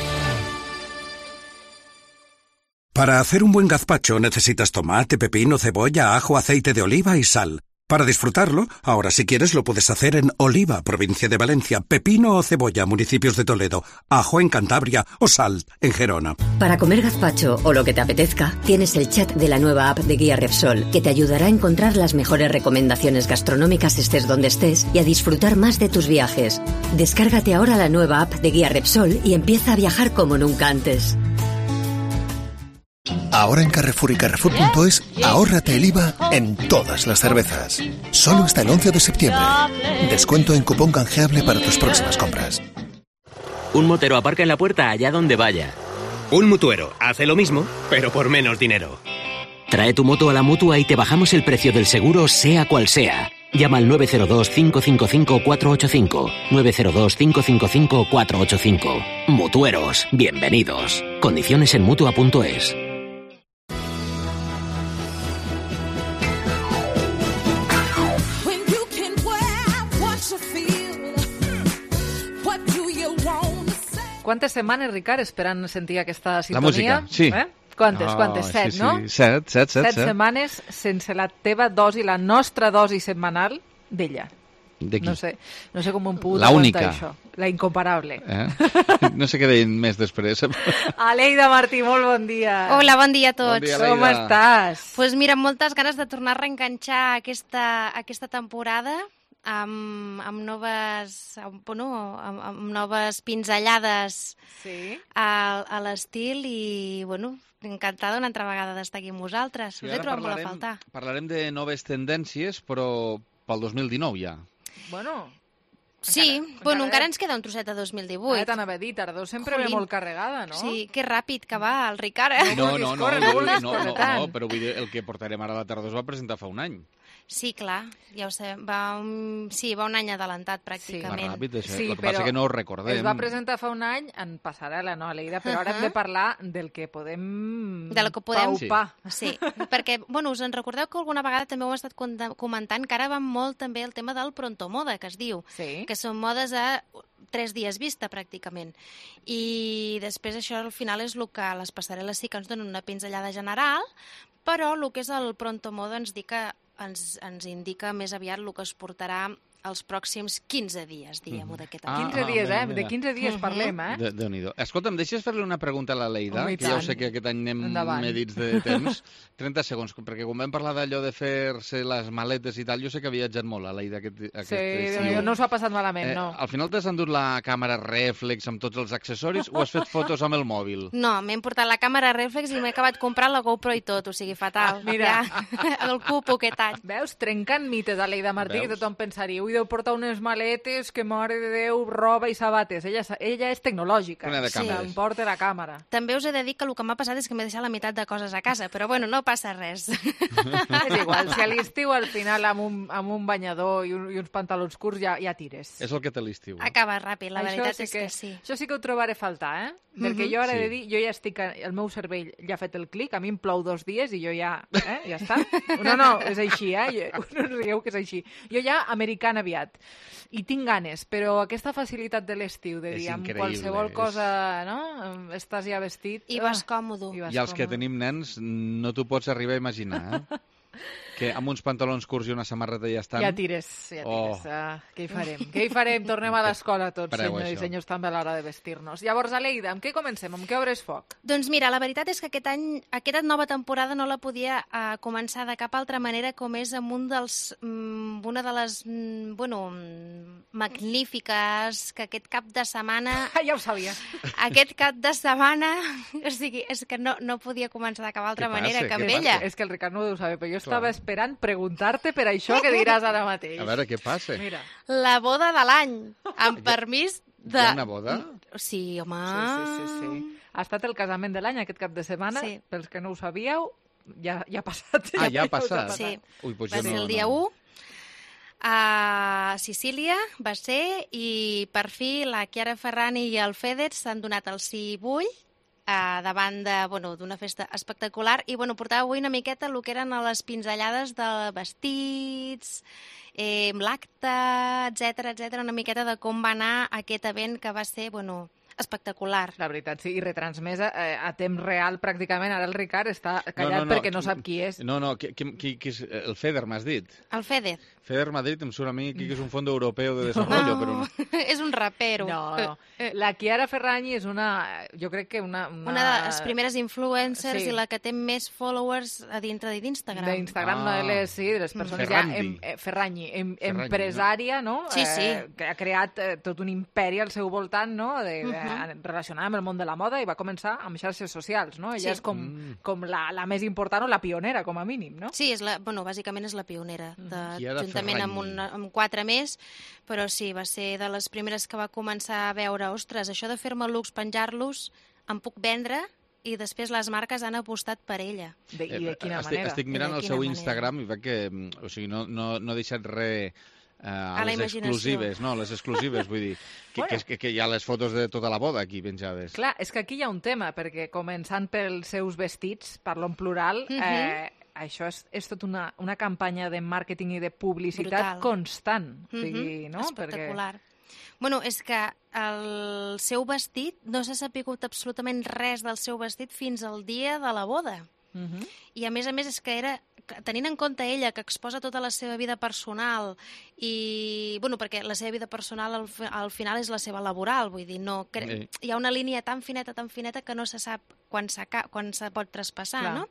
Para hacer un buen gazpacho necesitas tomate, pepino, cebolla, ajo, aceite de oliva y sal. Para disfrutarlo, ahora si quieres lo puedes hacer en Oliva, provincia de Valencia, pepino o cebolla, municipios de Toledo, ajo en Cantabria o sal en Gerona. Para comer gazpacho o lo que te apetezca, tienes el chat de la nueva app de Guía Repsol, que te ayudará a encontrar las mejores recomendaciones gastronómicas estés donde estés y a disfrutar más de tus viajes. Descárgate ahora la nueva app de Guía Repsol y empieza a viajar como nunca antes. Ahora en Carrefour y Carrefour punto es, ahórrate el I V A en todas las cervezas. Solo hasta el once de septiembre. Descuento en cupón canjeable para tus próximas compras. Un motero aparca en la puerta allá donde vaya. Un mutuero hace lo mismo, pero por menos dinero. Trae tu moto a la Mutua y te bajamos el precio del seguro, sea cual sea. Llama al nueve cero dos, cinco cinco cinco, cuatro ocho cinco. nueve cero dos, cinco cinco cinco, cuatro ocho cinco. Mutueros, bienvenidos. Condiciones en Mutua punto es. Quantes setmanes, Ricard, esperant sentir aquesta La sintonia? música, sí. Eh? Quantes, Oh, quantes? Set, sí, no? sí. Set, set, set, Set set. setmanes sense la teva dosi, la nostra dosi setmanal d'ella. De qui? No sé, no sé com ho hem pogut La aguantar, única. això. La incomparable. Eh? No sé què deien més després. Aleida Martí, molt bon dia. Hola, bon dia a tots. Bon dia, Com Aleida. estàs? Pues mira, amb moltes ganes de tornar a reenganxar aquesta, aquesta temporada amb, amb noves amb, bueno, amb, amb noves pinzellades sí. a, a l'estil i, bueno, encantada una altra vegada d'estar aquí amb vosaltres. Sí, Us he ara trobat molt a parlarem- faltar. Parlarem de noves tendències, però pel dos mil dinou ja. Bueno, Sí, encara- bueno, encara- encara ens queda un trosset a dos mil divuit. Ara t'anava a dir, tardor sempre ve Jolín. molt carregada, no? Sí, que ràpid que va el Ricard. eh? No, no, no, córrer, no, no no, vulguis no, córrer no, tant. no, però vull dir, el que portarem ara a la tardor es va presentar fa un any. Sí, clar, ja ho sé. Va un, sí, va un any adelantat, Va pràcticament. ràpid, això. Sí, el que passa però que no ho recordem. Es va presentar fa un any en passarel·la, no, Aleida? Però ara hem de parlar del que podem De lo que podem... paupar. Sí, perquè, bueno, us en recordeu que alguna vegada també ho hem estat conta- comentant, que ara va molt també el tema del pronto moda, que es diu, sí. que són modes a tres dies vista, pràcticament. I després això, al final, és el que les passarel·les sí que ens donen una pinzellada general, però el que és el Pronto Modo ens, dica, ens, ens indica més aviat el que es portarà els pròxims quinze dies, diguem-ho, d'aquest any. quinze dies, eh? De quinze dies parlem, eh? De, Déu-n'hi-do. Escolta'm, deixes fer-li una pregunta a la Leida, Home, que ja ho sé que aquest any anem Endavant. medits de temps. trenta segons, perquè quan vam parlar d'allò de fer-se les maletes i tal, jo sé que ha viatjat molt, la Leida, aquest, aquest Sí, estiu. no s'ho ha passat malament, Eh, no. al final t'has endut la càmera rèflex amb tots els accessoris o has fet fotos amb el mòbil? No, m'he portat la càmera reflex i m'he acabat comprant la GoPro i tot, o sigui, fatal. Mira. Ja, el cupo aquest any. Veus? Trencant mites a Leida Martí, Veus? que tothom pensaria, ui, deu portar unes maletes, que mare de Déu, roba i sabates. Ella, ella és tecnològica. Una de Sí, càmeres. em porta la càmera. També us he de dir que el que m'ha passat és que m'he deixat la meitat de coses a casa, però bueno, no passa res. És igual, si a l'estiu al final amb un, amb un banyador i, un, i uns pantalons curts ja, ja tires. És el que té l'estiu. Acaba ràpid, la Això veritat sí és que sí. Això sí que ho trobaré a faltar, eh? Perquè Mhm. jo ara he de Sí. dir, jo ja estic, el meu cervell ja ha fet el clic, a mi em plou dos dies i jo ja, eh, ja està. No, no, és així, eh? Jo, no rigueu que és així. Jo ja americana aviat. I tinc ganes, però aquesta facilitat de l'estiu, de És dir, amb increïble, qualsevol és- cosa, no? Estàs ja vestit. I vas còmodo. vas I els que còmode. tenim nens no t'ho pots arribar a imaginar, eh? Que amb uns pantalons curts i una samarreta ja estan... Ja tires, ja tires. Oh. Ah, què hi farem? Què hi farem? Tornem a l'escola tots, Preu, senyors i això. senyors, també a l'hora de vestir-nos. Llavors, Aleida, amb què comencem? Amb què obres foc? Doncs mira, la veritat és que aquest any, aquesta nova temporada no la podia uh, començar de cap altra manera com és amb un dels, mm, una de les, mm, bueno, mm, magnífiques que aquest cap de setmana... ja ho sabia. Aquest cap de setmana, o sigui, és que no, no podia començar de cap altra Què passa? manera que amb Què ella. És que el Ricard no ho deu saber, però jo Clar. estava esperant preguntar-te per això que diràs ara mateix. A veure, què passa? Mira. La boda de l'any, amb permís de... Hi ha una boda? Sí, home... Sí, sí, sí, sí. Ha estat el casament de l'any aquest cap de setmana. Sí. Pels que no ho sabíeu, ja, ja ha passat. Ah, ja ha us passat? Sí. Ui, doncs Va jo ser no, el dia no. u. A Sicília va ser i per fi la Chiara Ferrani i el Fedez s'han donat el sí i bull eh, davant de, bueno, d'una festa espectacular i bueno, portava avui una miqueta el que eren les pinzellades de vestits, eh, l'acte, etcètera, etcètera, una miqueta de com va anar aquest event que va ser, bueno, espectacular. La veritat, sí, i retransmesa eh, a temps real pràcticament. Ara el Ricard està callat perquè no sap qui és. No, no, qui, qui, qui, qui és? El FEDER, m'has dit? El Fedez. FEDER Madrid em surt a mi que és un fons europeu de desenvolupament, però no. És un rapero. No, no. La Chiara Ferragni és una, jo crec que una... Una, Una de les primeres influencers Sí. i la que té més followers a dintre d'Instagram. D'Instagram, no, Ah. ell és, sí, de les persones Ferrandi. ja... Em, eh, Ferragni, em, Ferragni, empresària, no? Sí, sí. Eh, que ha creat eh, tot un imperi al seu voltant, no? De, de, Mhm. relacionada amb el món de la moda i va començar amb xarxes socials, no? Ella Sí. és com, Mm. com la, la més important o la pionera, com a mínim, no? Sí, és la, bueno, bàsicament és la pionera, de, Chiara juntament amb, Ferragni. una, amb quatre més, però sí, va ser de les primeres que va començar a veure, ostres, això de fer-me looks, penjar-los, em puc vendre, i després les marques han apostat per ella. De, I de quina Eh, estic, manera? Estic mirant I de el quina seu manera. Instagram i veig que mm, o sigui, no, no, no ha deixat res eh, a, A la les imaginació. exclusives, no, les exclusives, vull dir, que, Bueno. que, és que, que hi ha les fotos de tota la boda aquí penjades. Clar, és que aquí hi ha un tema, perquè començant pels seus vestits, parlo en plural, Mhm. eh, això és, és tot una, una campanya de màrqueting i de publicitat Brutal. constant. O sigui, Mhm, no? Espectacular. Bueno, és que el seu vestit, no s'ha sapigut absolutament res del seu vestit fins al dia de la boda. Perquè... Mhm. I a més a més és que era, que tenint en compte ella, que exposa tota la seva vida personal i, bueno, perquè la seva vida personal al, fi- al final és la seva laboral, vull dir, no, cre... Sí. hi ha una línia tan fineta, tan fineta que no se sap quan, quan se pot traspassar, Clar. no?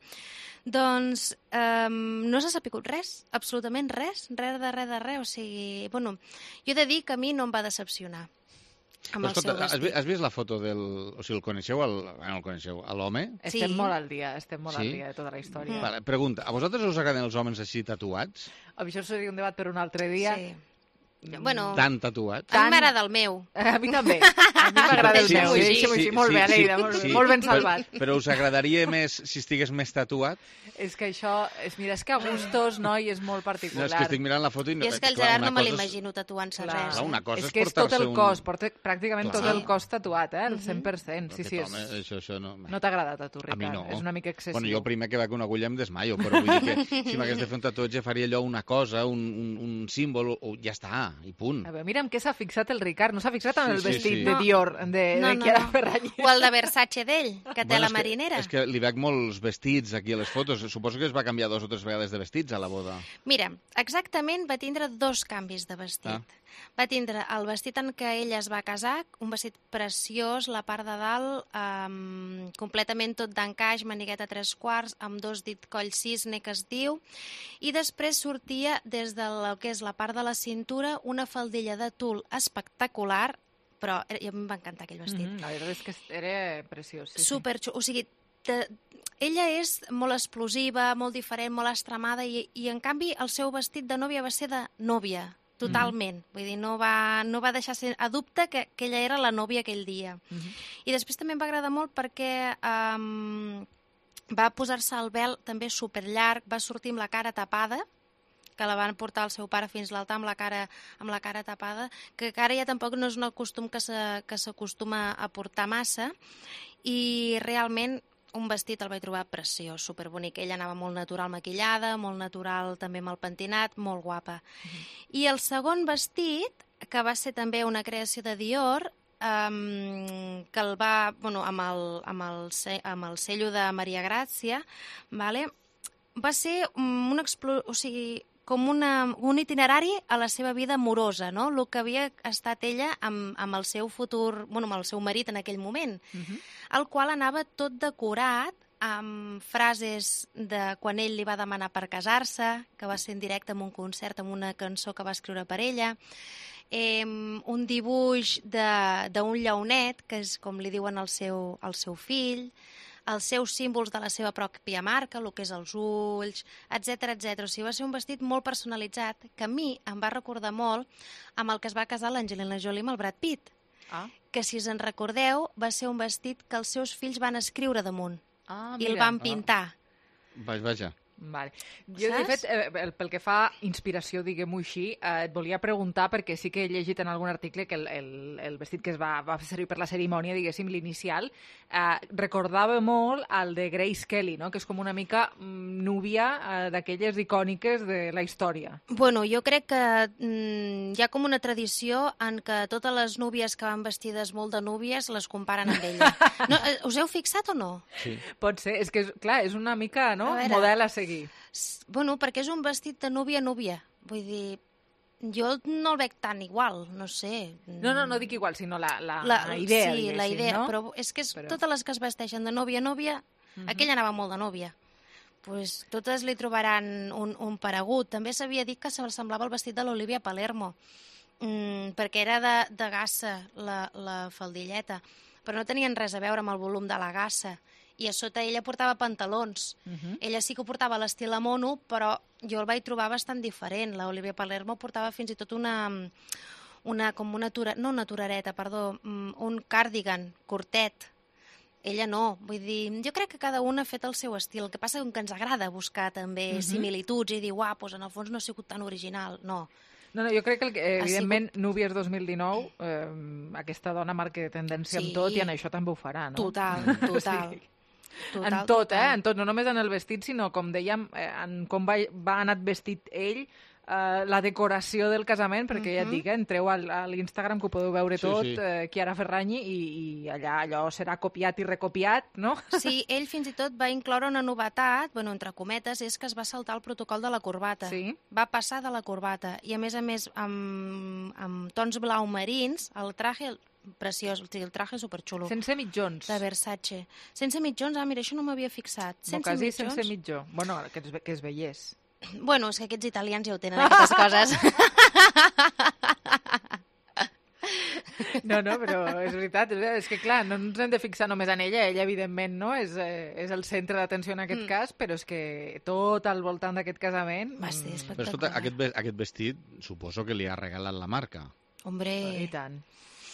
Doncs um, no s'ha sapigut res, absolutament res, res de res de res, o sigui, bueno, jo he de dir que a mi no em va decepcionar amb el Escolta, seu has, vi- vestit. has vist la foto del... O sigui, el coneixeu, el, bueno, el coneixeu, a l'home? Estem Sí. molt al dia, estem molt Sí? al dia de tota la història. Mm. Vale, pregunta, a vosaltres us agraden els homes així tatuats? Això seria un debat per un altre dia. Sí. Bueno, Tan tatuats? a mi m'agrada el meu. A mi també. A mi m'agrada el Sí, meu. sí, Deixa'm-ho sí, així. Molt sí, bé, sí, Aleida, molt, sí. molt ben Però- salvat. Però us agradaria més si estigués més tatuat? És que això, és, mira, és que a gustos, no, i és molt No, particular. és que estic mirant la foto i... No, I és que el clar, Gerard una no me cosa és- l'imagino tatuant-se Clar. res. Clar, eh? una cosa és és que és tot portar-se el un- cos, porta pràcticament Clar. tot el cos tatuat, eh? El Mhm. cent per cent. Sí, sí, Aquest és... home, això, això no... No t'ha agradat a tu, A Ricard? mi no. És una mica excessiu. Bueno, jo el primer que veig una agulla em desmaio, però vull dir que si m'hagués de fer un tatuatge faria allò una cosa, un, un, un símbol, o ja està. i punt. A veure, mira en què s'ha fixat el Ricard. No s'ha fixat en Sí, el sí, vestit sí. de Dior, de, No, de no, Chiara no. Ferragni. O el de Versace d'ell, que té Bueno, la és que- marinera. És que li veig molts vestits aquí a les fotos. Suposo que es va canviar dos o tres vegades de vestits a la boda. Mira, exactament va tindre dos canvis de vestit. Ah. Va tindre el vestit en què ella es va casar, un vestit preciós, la part de dalt, um, completament tot d'encaix, manigueta a tres quarts, amb dos dit coll cisne, que es diu, i després sortia des del que és la part de la cintura una faldilla de tul espectacular, però era- a mi em va encantar aquell vestit. Mm, la veritat és que era preciós. Sí, Super xulo. O sigui, te, ella és molt explosiva, molt diferent, molt estremada, i, i en canvi el seu vestit de nòvia va ser de nòvia, totalment. Vull dir, no va, no va deixar ser a dubte que, que ella era la nòvia aquell dia. sí. Mm-hmm. I després també em va agradar molt perquè um, va posar-se el vel també superllarg, va sortir amb la cara tapada, que la van portar el seu pare fins a l'altar amb la cara amb la cara tapada, que ara ja tampoc no és un costum que se- que s'acostuma a portar massa, i realment un vestit el vaig trobar preciós, superbonic. Ella anava molt natural maquillada, molt natural també amb el pentinat, molt guapa. I el segon vestit, que va ser també una creació de Dior, um, que el va, bueno, amb el, amb el, ce- amb el cello de Maria Gràcia, vale? Va ser um, un, explo... o sigui, com una, un itinerari a la seva vida amorosa, no? El que havia estat ella amb, amb el seu futur, bueno, amb el seu marit en aquell moment, el qual anava tot decorat amb frases de quan ell li va demanar per casar-se, que va ser en directe en un concert, amb una cançó que va escriure per ella, eh, un dibuix de- d'un lleonet, que és com li diuen al seu, al seu fill, els seus símbols de la seva pròpia marca, el que és els ulls, etcètera, etcètera. O sigui, va ser un vestit molt personalitzat, que a mi em va recordar molt amb el que es va casar l'Angelina Jolie amb el Brad Pitt, Ah. que si us en recordeu va ser un vestit que els seus fills van escriure damunt Ah, i el mira. van pintar. Vaja, vaja. Vale. Jo, de Saps? fet, eh, el- pel que fa inspiració, diguem-ho així, eh, et volia preguntar, perquè sí que he llegit en algun article que el, el, el vestit que es va, va fer servir per la cerimònia, diguéssim, l'inicial, eh, recordava molt al de Grace Kelly, no? Que és com una mica mm, núvia eh, d'aquelles icòniques de la història. Bueno, jo crec que mm, hi ha com una tradició en què totes les núvies que van vestides molt de núvies les comparen amb ella. No, eh, us heu fixat o no? Sí. Pot ser, és que, és, clar, és una mica, no?, A veure. model a seguir. S- Bueno, perquè és un vestit de núvia a núvia. Vull dir, jo no el veig tan igual, no sé. No, no, no dic igual, sinó la, la, La, la idea, sí, la diguéssim, idea, no? però és que és, Però- totes les que es vesteixen de nòvia a nòvia, Mhm. aquella anava molt de nòvia. Pues totes li trobaran un, un paregut. També s'havia dit que semblava el vestit de l'Olivia Palermo, mm, perquè era de, de gassa, la, la faldilleta, però no tenien res a veure amb el volum de la gassa. I a sota ella portava pantalons. Mhm. Ella sí que ho portava a l'estil a mono, però jo el vaig trobar bastant diferent. La Olivia Palermo portava fins i tot una, una com una tura, no una turareta, perdó, mm, un cardigan curtet. Ella no, vull dir, jo crec que cada una ha fet el seu estil. El que passa és que ens agrada buscar també Mhm. similituds i dir, uah, doncs en el fons no ha sigut tan original. No. No, no, jo crec que, el, que Ha evidentment, Núvies dos mil dinou, eh, aquesta dona marca tendència Sí. en tot i en això també ho farà, no? Total, total. Total, en tot, total. eh? En tot, no només en el vestit, sinó, com dèiem, eh, en com va, va anat vestit ell, eh, la decoració del casament, perquè ja et Mhm. dic, eh, entreu al, a l'Instagram que ho podeu veure Sí, tot, sí. eh, Chiara Ferragni, i, i allà allò serà copiat i recopiat, no? Sí, ell fins i tot va incloure una novetat, bueno, entre cometes, és que es va saltar el protocol de la corbata. Sí. Va passar de la corbata. I a més a més, amb, amb tons blau marins, el traje el- preciós, o sigui, el traje superxulo. Sense mitjons. De Versace. Sense mitjons, ah, mira, això no m'havia fixat. O Sense quasi mitjons. sense mitjó. Bueno, que es, ve- que es veiés. Bueno, és que aquests italians ja ho tenen, aquestes coses. No, no, però és veritat, és, veritat. És que clar, no ens hem de fixar només en ella, ella evidentment no és, eh, és el centre d'atenció en aquest Mm. cas, però és que tot al voltant d'aquest casament... Va ser mm, Però espectacular. escolta, aquest, ve- aquest vestit suposo que li ha regalat la marca. Hombre, I tant.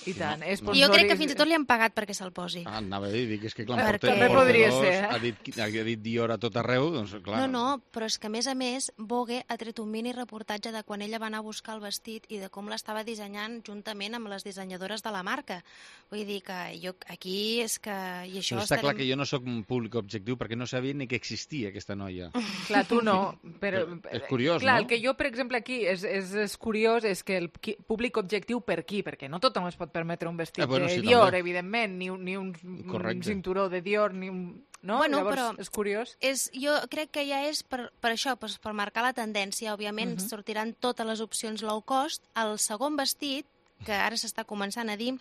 I tant. I jo crec que fins i tot li han pagat perquè se'l posi. Ah, anava a dir, dic, és que clar, Perquè- porta, També podria ser, eh? ha dit, ha dit Dior a tot arreu, doncs clar. No, no, però és que a més a més Vogue ha tret un mini reportatge de quan ella va anar a buscar el vestit i de com l'estava dissenyant juntament amb les dissenyadores de la marca. Vull dir que jo aquí és que... I això Però està estarem- clar que jo no sóc un públic objectiu perquè no sabia ni que existia aquesta noia. Clar, tu no, però... És curiós, clar, no? el que jo, per exemple, aquí és, és, és curiós és que el qui- públic objectiu per qui? Perquè no tothom es pot permetre un vestit Ah, bueno, de sí, Dior, també. evidentment, ni, un- ni un, un Correcte. cinturó de Dior, ni un... No? Bueno, Llavors, però és curiós. És, jo crec que ja és per, per això, per, per marcar la tendència. Òbviament, Mhm. sortiran totes les opcions low cost. El segon vestit, que ara s'està començant a dir,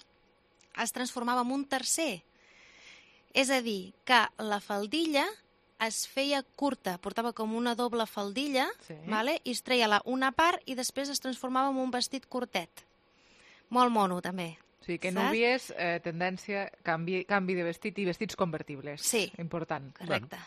es transformava en un tercer. És a dir, que la faldilla es feia curta, portava com una doble faldilla, Sí. vale? I es treia la, una part i després es transformava en un vestit curtet. Molt mono, també. O sigui, que Saps? núvies, eh, tendència, canvi, canvi de vestit i vestits convertibles. Sí. Important. Correcte.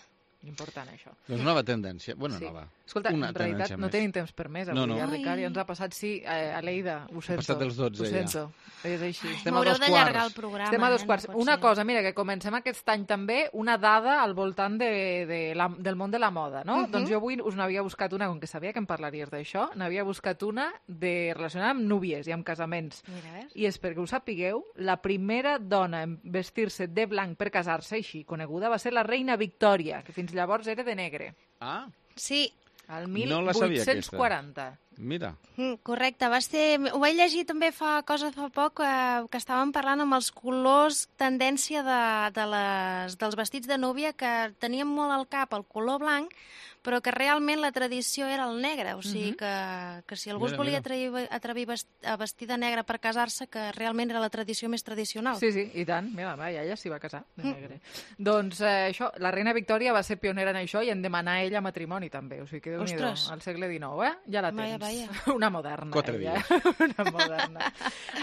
Important, això. Doncs nova tendència. Bueno, Sí. nova. Escolta, Una en realitat tendència no més. tenim temps per més avui, No, no. eh, Ai. Ricard? Ja ens ha passat, sí, eh, Aleida, ho sento. passat dels dotze, ho ja. sento. És així. Estem a M'haureu dos d'allargar quarts. el programa. Estem a dos eh? quarts. No pot Una ser. cosa, mira, que comencem aquest any també, una dada al voltant de, de la, del món de la moda, no? Mhm. Doncs jo avui us n'havia buscat una, com que sabia que em parlaries d'això, n'havia buscat una de, relacionada amb núvies i amb casaments. Mira, ves? I és perquè ho sapigueu, la primera dona en vestir-se de blanc per casar-se, així coneguda, va ser la reina Victòria, que fins llavors era de negre. Ah, Sí, Al No la sabia, aquesta. divuit quaranta. mira. mm, correcte. Va ser... Ho vaig llegir també fa cosa fa poc, eh, que estàvem parlant amb els colors tendència de, de les, dels vestits de núvia, que tenien molt al cap el color blanc, però que realment la tradició era el negre. O sigui, Mhm. que, que si algú Mira, es volia mira. atrevir, atrevir vest- a vestir de negre per casar-se, que realment era la tradició més tradicional. Sí, sí, i tant. Mira, va, ella s'hi va casar, de Mm. negre. Doncs eh, això, la reina Victòria va ser pionera en això i en demanar ella matrimoni també. O sigui que Déu-n'hi-do, Ostres. al segle dinou, eh? Ja la Vaja, tens. vaja. Una moderna. Quatre ella. dies. Una moderna.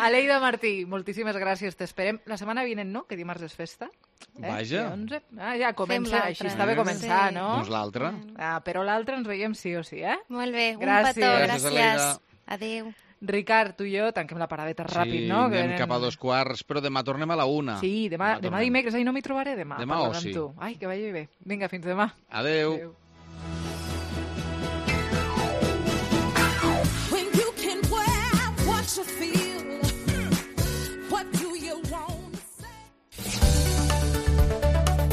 Aleida Martí, moltíssimes gràcies. T'esperem la setmana vinent, no? Que dimarts és festa. Eh? Vaja. Dia onze. Ah, ja comença, l'altra. així està bé començar, Sí. no? Doncs l'altra. Ah, però l'altre ens veiem sí o sí, eh? Molt bé, un Gràcies. petó, Gràcies, gràcies. Aleida. Adéu. Ricard, tu i jo tanquem la paradeta ràpid, sí, no? Que anem anem- cap a dos quarts, però demà tornem a la una. Sí, demà, demà tornem. dimecres, ahir no m'hi trobaré demà. Demà parlant oci. amb tu. Ai, que vagi bé. Vinga, fins demà. Adeu. Adéu. When you can wear what you feel, what do you want to say?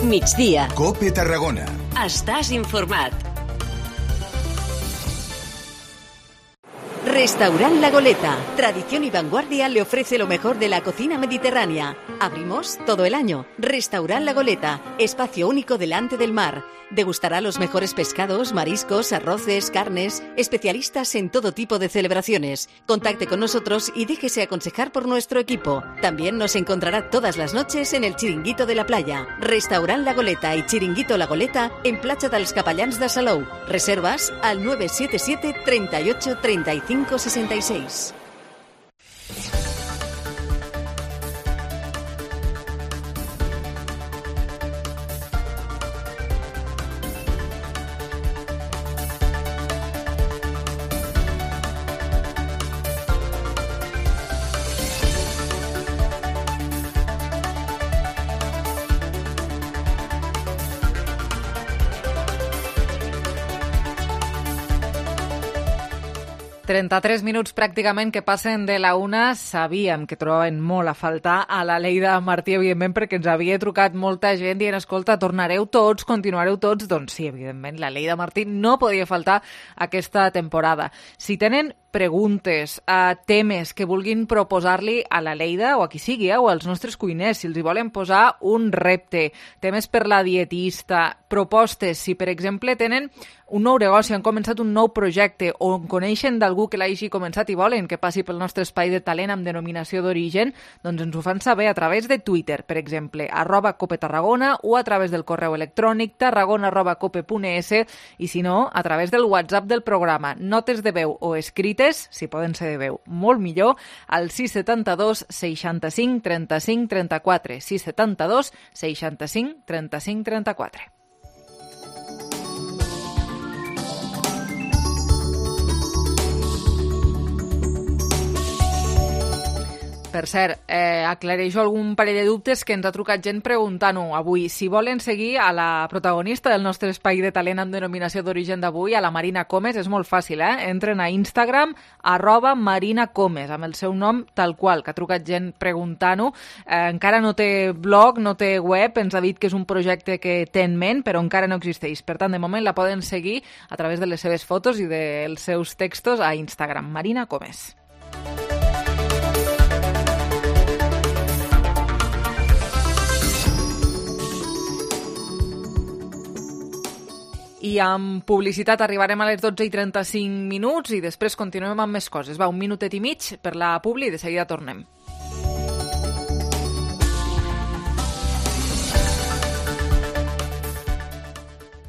Migdia. Cope Tarragona. Estàs informat. Restaurant La Goleta. Tradición y vanguardia le ofrece lo mejor de la cocina mediterránea. Abrimos todo el año. Restaurant La Goleta. Espacio único delante del mar. Degustará los mejores pescados, mariscos, arroces, carnes. Especialistas en todo tipo de celebraciones. Contacte con nosotros y déjese aconsejar por nuestro equipo. También nos encontrará todas las noches en el Chiringuito de la Playa. Restaurant La Goleta y Chiringuito La Goleta en Platja dels Capellans de Salou. Reservas al nueve siete siete, treinta y ocho, treinta y cinco, sesenta y seis. trenta-tres minuts pràcticament que passen de la una. Sabíem que trobaven molt a faltar a la Leida Martí, evidentment, perquè ens havia trucat molta gent dient, escolta, tornareu tots, continuareu tots. Doncs sí, evidentment, la Leida Martí no podia faltar aquesta temporada. Si tenen preguntes, a temes que vulguin proposar-li a la Leida o a qui sigui, eh, o als nostres cuiners, si els hi volen posar un repte, temes per la dietista, propostes, si per exemple tenen un nou negoci, han començat un nou projecte o coneixen d'algú que l'hagi començat i volen que passi pel nostre espai de talent amb denominació d'origen, doncs ens ho fan saber a través de Twitter, per exemple, arroba Cope Tarragona, o a través del correu electrònic tarragona arroba cope punt es, i si no, a través del WhatsApp del programa. Notes de veu o escrites, si poden ser de veu, molt millor, al sis setanta dos seixanta-cinc trenta-cinc trenta-quatre, sis setanta dos seixanta-cinc trenta-cinc trenta-quatre. Per cert, eh, aclareixo algun parell de dubtes que ens ha trucat gent preguntant-ho avui. Si volen seguir a la protagonista del nostre espai de talent amb denominació d'origen d'avui, a la Marina Comes, és molt fàcil, eh? Entren a Instagram, arroba Marina Comes, amb el seu nom tal qual, que ha trucat gent preguntant-ho. Eh, encara no té blog, no té web, ens ha dit que és un projecte que té en ment, però encara no existeix. Per tant, de moment la poden seguir a través de les seves fotos i dels seus textos a Instagram. Marina Comes. I amb publicitat arribarem a les dotze i trenta-cinc minuts i després continuem amb més coses. Va, un minutet i mig per la publi i de seguida tornem.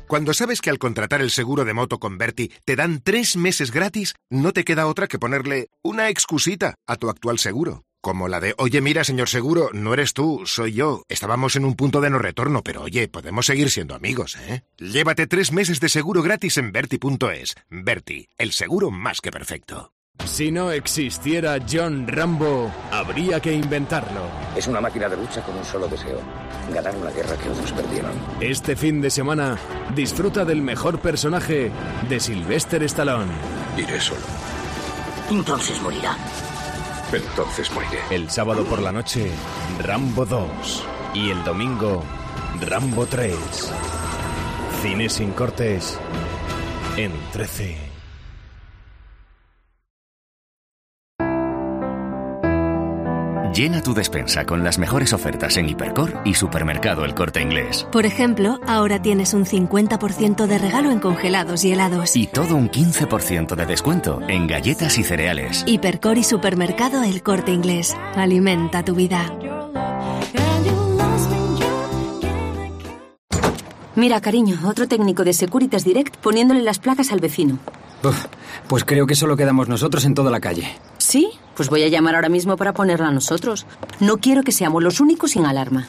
Cuando sabes que al contratar el seguro de moto con Berti te dan tres meses gratis, no te queda otra que ponerle una excusita a tu actual seguro. Como la de, oye, mira, señor seguro, no eres tú, soy yo. Estábamos en un punto de no retorno, pero oye, podemos seguir siendo amigos, ¿eh? Llévate tres meses de seguro gratis en Berti punto es. Berti, el seguro más que perfecto. Si no existiera John Rambo, habría que inventarlo. Es una máquina de lucha con un solo deseo: ganar una guerra que otros perdieron. Este fin de semana, disfruta del mejor personaje de Sylvester Stallone. Iré solo. Entonces morirá. Entonces moriré. El sábado por la noche, Rambo dos. Y el domingo, Rambo tres. Cine sin cortes en trece. Llena tu despensa con las mejores ofertas en Hipercor y Supermercado El Corte Inglés. Por ejemplo, ahora tienes un cincuenta por ciento de regalo en congelados y helados. Y todo un quince por ciento de descuento en galletas y cereales. Hipercor y Supermercado El Corte Inglés. Alimenta tu vida. Mira, cariño, otro técnico de Securitas Direct poniéndole las placas al vecino. Uf, pues creo que solo quedamos nosotros en toda la calle. ¿Sí? Pues voy a llamar ahora mismo para ponerla a nosotros. No quiero que seamos los únicos sin alarma.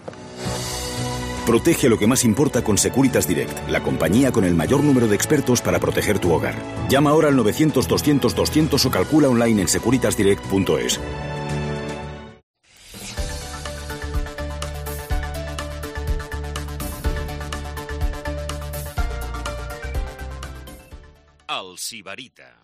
Protege lo que más importa con Securitas Direct, la compañía con el mayor número de expertos para proteger tu hogar. Llama ahora al novecientos doscientos doscientos o calcula online en securitas direct punto es. El Sibarita.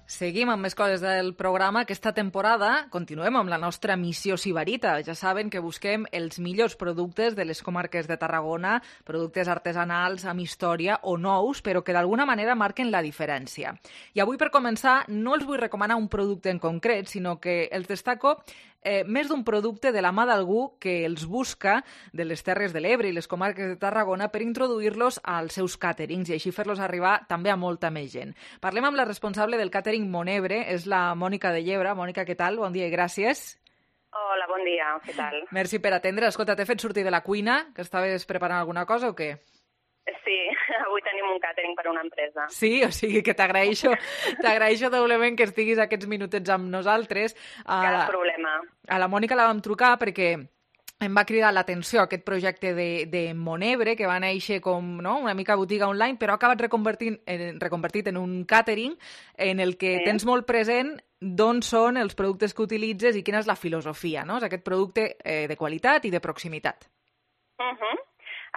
Seguim amb més coses del programa. Aquesta temporada continuem amb la nostra missió Sibarita. Ja saben que busquem els millors productes de les comarques de Tarragona, productes artesanals, amb història o nous, però que d'alguna manera marquen la diferència. I avui, per començar, no els vull recomanar un producte en concret, sinó que els destaco eh, més d'un producte de la mà d'algú que els busca de les Terres de l'Ebre i les comarques de Tarragona per introduir-los als seus càterings i així fer-los arribar també a molta més gent. Parlem amb la responsable del càtering Monebre, és la Mònica de Llebre. Mònica, què tal? Bon dia i gràcies. Hola, bon dia, què tal? Merci per atendre. Escolta, t'he fet sortir de la cuina, que estaves preparant alguna cosa o què? Sí, avui tenim un càtering per a una empresa. Sí, o sigui que t'agraeixo t'agraeixo doblement que estiguis aquests minutets amb nosaltres. Cap problema. A la Mònica la vam trucar perquè em va cridar l'atenció aquest projecte de, de Monebre, que va néixer com no, una mica botiga online, però ha acabat reconvertint, en, reconvertit en un càtering en el que sí. Tens molt present d'on són els productes que utilitzes i quina és la filosofia, no? És aquest producte eh, de qualitat i de proximitat. Uh-huh.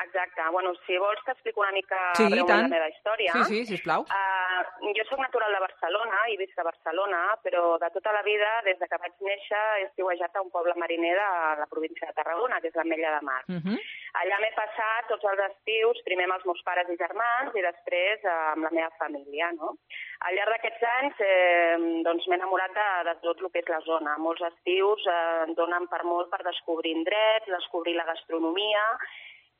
Exacte. Bueno, si vols t'explico una mica sí, breument la meva història. Sí, sí, sisplau. Uh, jo soc natural de Barcelona i visc a Barcelona, però de tota la vida, des de que vaig néixer, he estiuejat a un poble mariner de la província de Tarragona, que és l'Ametlla de Mar. Uh-huh. Allà m'he passat tots els estius, primer amb els meus pares i germans i després uh, amb la meva família, no? Al llarg d'aquests anys eh, doncs m'he enamorat de, de tot el que és la zona. Molts estius eh, donen per molt per descobrir indrets, descobrir la gastronomia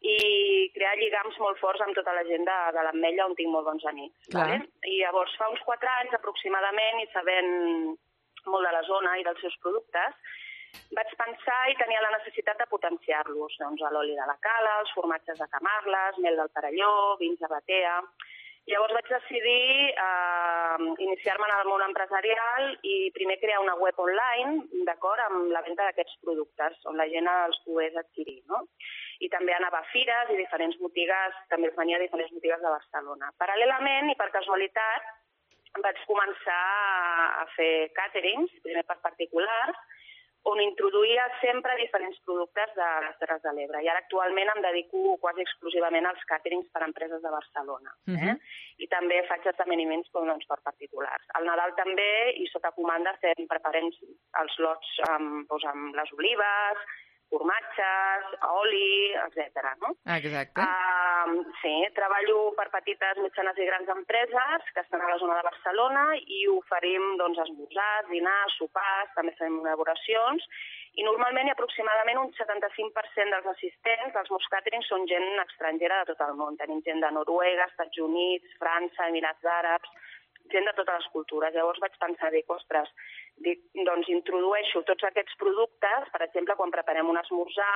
i crear lligams molt forts amb tota la gent de, de l'Ametlla on tinc molt bons amics. Vale? I llavors fa uns quatre anys aproximadament i sabent molt de la zona i dels seus productes, vaig pensar i tenia la necessitat de potenciar-los. Doncs l'oli de la Cala, els formatges de Camarles, mel del Perelló, vins de Batea. Llavors vaig decidir eh, iniciar-me en el món empresarial i primer crear una web online, d'acord, amb la venda d'aquests productes, on la gent els pogués adquirir, no? I també anava a fires i diferents botigues, també els venia a diferents botigues de Barcelona. Paral·lelament, i per casualitat, vaig començar a fer càterings, primer per particulars, on introduïa sempre diferents productes de les Terres de l'Ebre. I ara actualment em dedico quasi exclusivament als càterings per a empreses de Barcelona. Eh? Uh-huh. I també faig esdeveniments doncs, per particulars. Al Nadal també, i sota comanda, fem, preparem els lots amb, doncs, amb les olives, formatges, oli, etcètera. No? Exacte. Uh, sí, treballo per petites, mitjanes i grans empreses que estan a la zona de Barcelona i oferim doncs, esmorzars, dinars, sopars, també fem elaboracions i normalment i aproximadament un setanta-cinc per cent dels assistents dels meus càterings són gent estrangera de tot el món. Tenim gent de Noruega, Estats Units, França, Emirats Àrabs, gent de totes les cultures. Llavors vaig pensar, dic, ostres, dic, doncs introdueixo tots aquests productes, per exemple, quan preparem un esmorzar,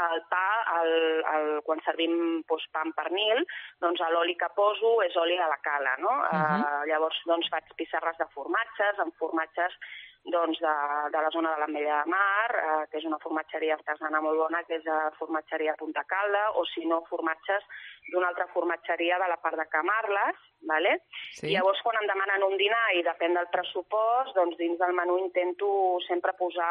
el pa, el, el, quan servim doncs, pa amb pernil, doncs l'oli que poso és oli a la cala, no? Uh-huh. Uh, llavors doncs, faig pissarres de formatges, amb formatges doncs, de, de la zona de l'Ametlla de Mar, eh, que és una formatgeria artesana molt bona, que és la formatgeria Punta Calda, o si no, formatges d'una altra formatgeria de la part de Camarles, ¿vale? Sí. I llavors quan em demanen un dinar i depèn del pressupost, doncs dins del menú intento sempre posar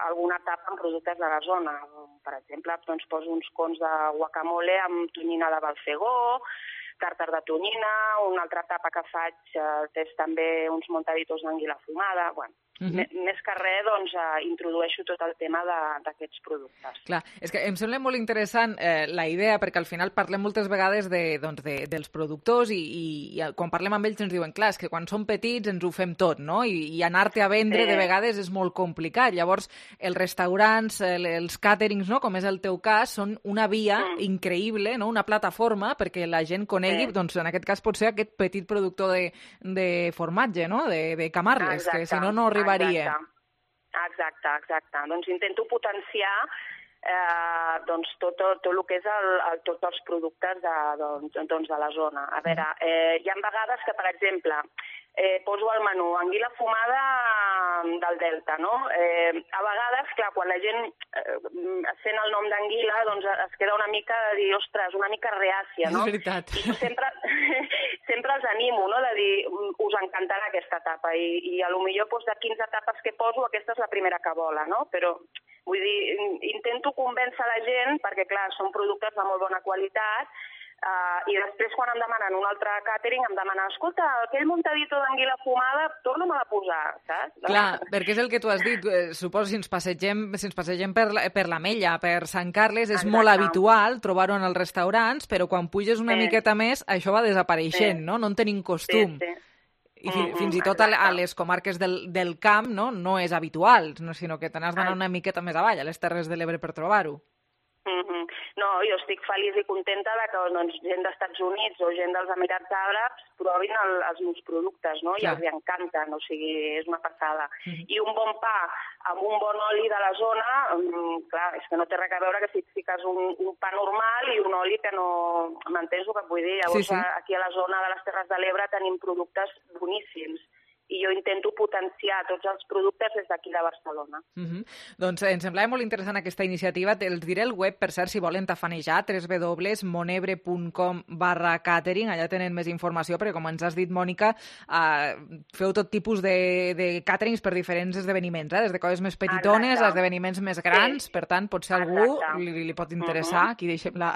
alguna tapa amb productes de la zona. Per exemple, doncs poso uns cons de guacamole amb tonyina de Balfegó, tàrtar de tonyina, una altra tapa que faig eh, és també uns montaditos d'anguila fumada, bueno. Uh-huh. Més que res, doncs, eh, introdueixo tot el tema d'aquests productes. Clar, és que em sembla molt interessant eh, la idea, perquè al final parlem moltes vegades de, doncs, de, dels productors i, i, i quan parlem amb ells ens diuen, clar, és que quan som petits ens ho fem tot, no? I, i anar-te a vendre eh. de vegades és molt complicat. Llavors, els restaurants, el, els càterings, no? Com és el teu cas, són una via mm. increïble, no? Una plataforma perquè la gent conegui, eh. doncs en aquest cas pot ser aquest petit productor de, de formatge, no? De, de Camarles, exacte, que si no, no arriba Exacte, exacte, exacte. Doncs intento potenciar eh, doncs tot, tot, tot el que és el, el, tots els productes de, doncs, doncs de la zona. A veure, eh, hi ha vegades que, per exemple, eh, poso al menú anguila fumada del Delta, no? Eh, a vegades, clar, quan la gent eh, sent el nom d'anguila, doncs es queda una mica de dir, ostres, una mica reàcia, no? És veritat. I sempre, sempre els animo, no?, de dir, us encantarà aquesta tapa, i, i a lo millor doncs, de quinze tapes que poso, aquesta és la primera que vola, no? Però, vull dir, intento convèncer la gent, perquè, clar, són productes de molt bona qualitat, Uh, i després quan em demanen un altre càtering em demanen, escolta, aquell montadito d'anguila fumada torna-me a posar, saps? Clar, perquè és el que tu has dit, suposo si ens passegem, si ens passegem per, la, per l'Ametlla, per Sant Carles, és Exacte. Molt habitual trobar-ho en els restaurants, però quan puges una sí. miqueta més això va desapareixent, sí. no? No en tenim costum. Sí, sí. I fi, mm-hmm, fins i tot a, a les comarques del, del camp no, no és habitual, no, sinó que te n'has d'anar una miqueta més avall, a les Terres de l'Ebre per trobar-ho. Mm-hmm. No, jo estic feliç i contenta de que doncs, gent d'Estats Units o gent dels Emirats Àrabs provin el, els meus productes, no? I els hi encanten, o sigui, és una passada. Mm-hmm. I un bon pa amb un bon oli de la zona, um, clar, és que no té res a veure que si et fiques un, un pa normal i un oli que no... M'entens el que vull dir? Llavors, sí, sí. aquí a la zona de les Terres de l'Ebre tenim productes boníssims. I jo intento potenciar tots els productes des d'aquí de Barcelona. Mm-hmm. Doncs em semblava molt interessant aquesta iniciativa. Els diré el web, per cert, si volen tafanejar, w w w punt monebre punt com barra catering. Allà tenen més informació, perquè com ens has dit, Mònica, eh, feu tot tipus de, de caterings per diferents esdeveniments, eh? Des de coses més petitones Exacte. A esdeveniments més grans. Sí. Per tant, potser algú li, li pot interessar. Uh-huh. Aquí deixem la,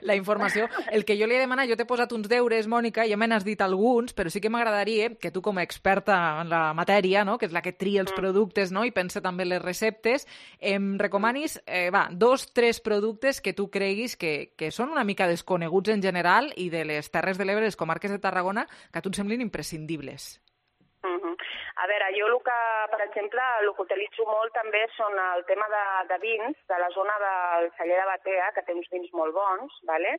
la informació. El que jo li he demanat, jo t'he posat uns deures, Mònica, ja me n'has dit alguns, però sí que m'agradaria que tu, com a experta en la matèria, no? Que és la que tria els productes, no? I pensa també les receptes, em recomanis eh, va, dos, tres productes que tu creguis que, que són una mica desconeguts en general i de les Terres de l'Ebre, les comarques de Tarragona, que a tu et semblin imprescindibles. Uh-huh. A veure, jo el que, per exemple, el que utilitzo molt també són el tema de, de vins, de la zona del celler de Batea, que té uns vins molt bons, ¿vale?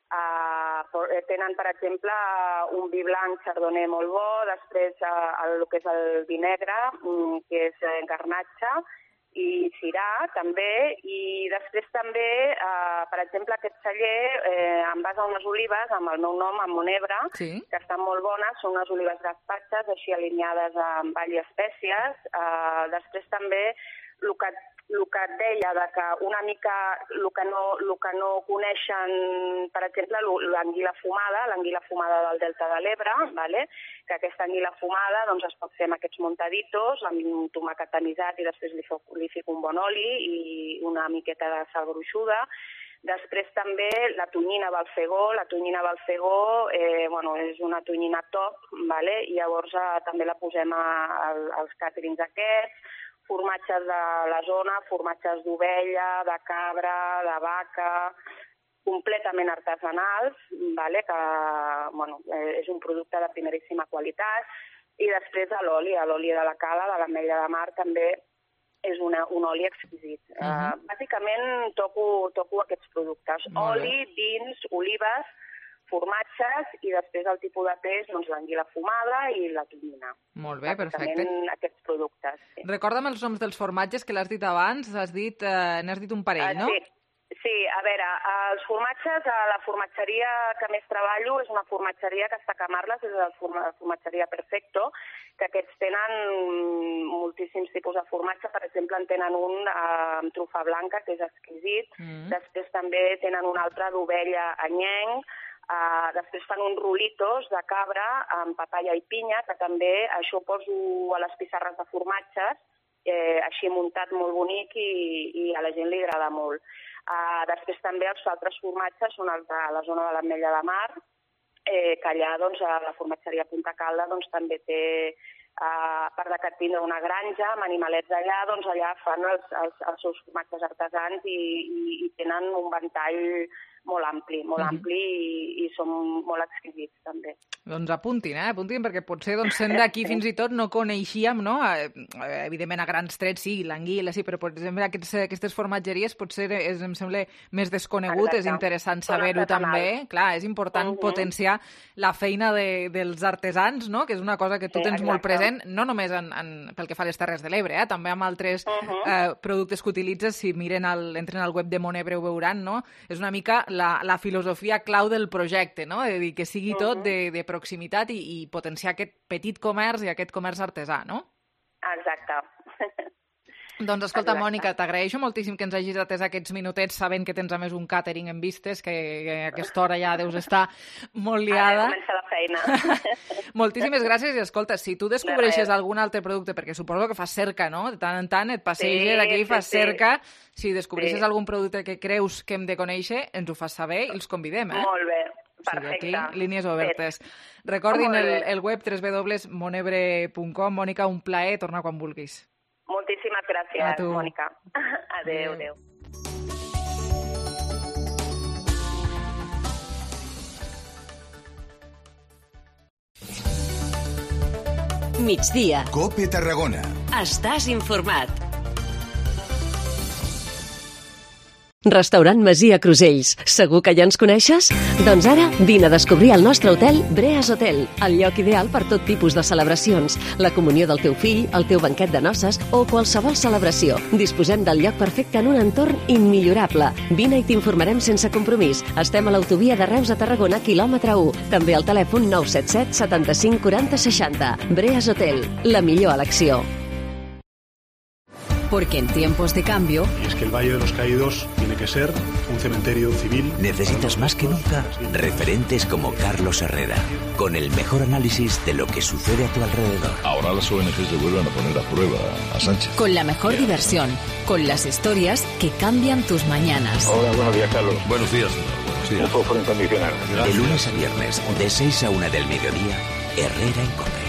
Uh, tenen, per exemple, un vi blanc chardonnay molt bo, després uh, el, el que és el vi negre, um, que és uh, garnatxa, i cirà, també, i després també, uh, per exemple, aquest celler eh, em basa unes olives amb el meu nom, amb Monebre, sí. que estan molt bones, són unes olives gaspatxes, així alineades amb all i espècies. Uh, després també, el que el que et deia, de que una mica el que no, el que no coneixen, per exemple, l'anguila fumada, l'anguila fumada del Delta de l'Ebre, vale? Que aquesta anguila fumada doncs, es pot fer amb aquests montaditos, amb un tomàquet tamisat i després li, fo, li fico un bon oli i una miqueta de sal gruixuda. Després també la tonyina Balfegó, la tonyina Balfegó eh, bueno, és una tonyina top, vale? I llavors eh, també la posem a, a, als càterings aquests, formatges de la zona, formatges d'ovella, de cabra, de vaca, completament artesanals, vale? Que bueno, és un producte de primeríssima qualitat. I després l'oli, l'oli de la cala, de l'ametlla de mar, també és una, un oli exquisit. Uh -huh. uh, bàsicament toco, toco aquests productes. Molt oli, bé. vins, olives, formatges i després el tipus de peix, doncs l'anguila fumada i la tonyina. Molt bé, perfecte. Aquests productes. Sí. Recorda'm els noms dels formatges que l'has dit abans, has dit, eh, n'has dit un parell, uh, no? Sí. Sí, a veure, els formatges, la formatgeria que més treballo és una formatgeria que està a Camarles, és la formatgeria Perfecto, que aquests tenen moltíssims tipus de formatge. Per exemple, en tenen un amb trufa blanca, que és exquisit. Mm. Després també tenen un altre d'ovella anyenc. Uh, després fan uns rolitos de cabra amb papaya i pinya, que també això ho poso a les pissarres de formatges, eh, així muntat molt bonic i, i a la gent li agrada molt. Uh, després també els altres formatges són els de la zona de l'Ametlla de Mar, eh, que allà doncs, a la formatgeria Punta Calda doncs, també té, uh, a part de que tindre una granja amb animalets allà, doncs allà fan els, els, els seus formatges artesans i, i, i tenen un ventall molt ampli, molt mm-hmm. ampli i, i són molt exquisits també. Doncs apuntin, eh? Apuntin, perquè potser doncs, sent d'aquí fins i tot no coneixíem, no? Eh, evidentment a grans trets sí, l'anguila sí, però per exemple aquests, aquestes formatgeries potser és, em sembla més desconegut, Exacte. És interessant saber-ho també. Clar, és important uh-huh. potenciar la feina de, dels artesans, no? Que és una cosa que tu sí, tens exacte. Molt present, no només en, en, pel que fa a les Terres de l'Ebre, eh? També amb altres uh-huh. eh, productes que utilitzes, si miren el, entren al web de Monebre ho veuran, no? És una mica la, la filosofia clau del projecte, no? De dir que sigui tot uh-huh. de, de proximitat i, i potenciar aquest petit comerç i aquest comerç artesà, no? Exacte. Doncs escolta, Exacte. Mònica, t'agraeixo moltíssim que ens hagis atès aquests minutets sabent que tens a més un càtering en vistes, que, que a aquesta hora ja deus estar molt liada. Ara comença la feina. Moltíssimes gràcies i escolta, si tu descobreixes algun altre producte, perquè suposo que fas cerca, no? De tant en tant et passeges sí, aquí i fas sí, cerca. Si descobreixes sí. algun producte que creus que hem de conèixer, ens ho fas saber i els convidem, eh? Molt bé. Perfecte. O sigui, aquí, línies obertes. Recordin el, el web w w w punt monebre punt com. Mònica, un plaer, torna quan vulguis. Moltíssimes gràcies, Mònica. Adéu, adéu. Migdia. Cope Tarragona. Estàs informat. Restaurant Masia Crusells. Segur que ja ens coneixes? Doncs ara vine a descobrir el nostre hotel Breas Hotel, el lloc ideal per tot tipus de celebracions, la comunió del teu fill, el teu banquet de noces o qualsevol celebració. Disposem del lloc perfecte en un entorn immillorable. Vine i t'informarem sense compromís. Estem a l'autovia de Reus a Tarragona, quilòmetre u. També al telèfon nou set set setanta-cinc quaranta seixanta. Breas Hotel, la millor elecció. Porque en tiempos de cambio... Y es que el Valle de los Caídos tiene que ser un cementerio civil. Necesitas más que nunca referentes como Carlos Herrera, con el mejor análisis de lo que sucede a tu alrededor. Ahora las O N Ges se vuelven a poner a prueba a Sánchez. Con la mejor yeah. diversión, con las historias que cambian tus mañanas. Hola, buenos días, Carlos. Buenos días, señor. Buenos días. Un fósforo incondicional. De lunes a viernes, de seis a una del mediodía, Herrera en Cope.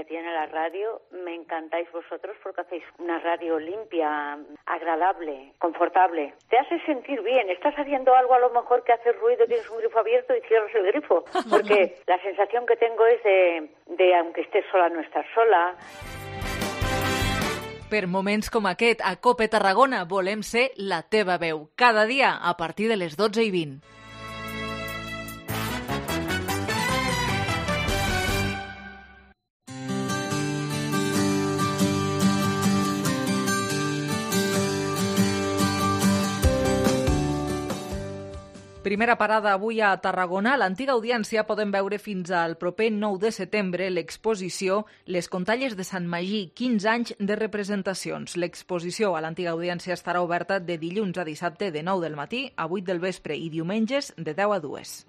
Tiene la radio, me encantáis vosotros porque hacéis una radio limpia, agradable, confortable. Te hace sentir bien, estás haciendo algo a lo mejor que hace ruido, tienes un grifo abierto y cierras el grifo, porque la sensación que tengo es de, de aunque estés sola, no estás sola. Per moments com aquest, a Cope Tarragona volem ser la teva veu, cada dia a partir de les dotze i vint. Primera parada avui a Tarragona. A l'antiga audiència poden veure fins al proper nou de setembre l'exposició Les Contalles de Sant Magí, quinze anys de representacions. L'exposició a l'antiga audiència estarà oberta de dilluns a dissabte de nou del matí a vuit del vespre i diumenges de deu a dues.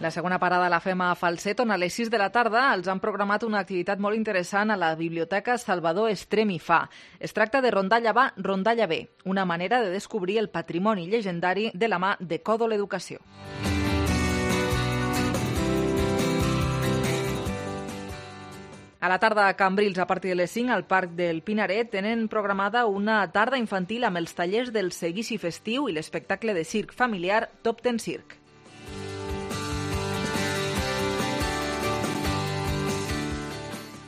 La segona parada la fem a Falset, on a les sis de la tarda els han programat una activitat molt interessant a la Biblioteca Salvador Estrem i Fa. Es tracta de Rondalla Va, Rondalla Ve, una manera de descobrir el patrimoni llegendari de la mà de Còdol Educació. A la tarda a Cambrils, a partir de les cinc, al Parc del Pinaret, tenen programada una tarda infantil amb els tallers del seguici festiu i l'espectacle de circ familiar Top Ten Circ.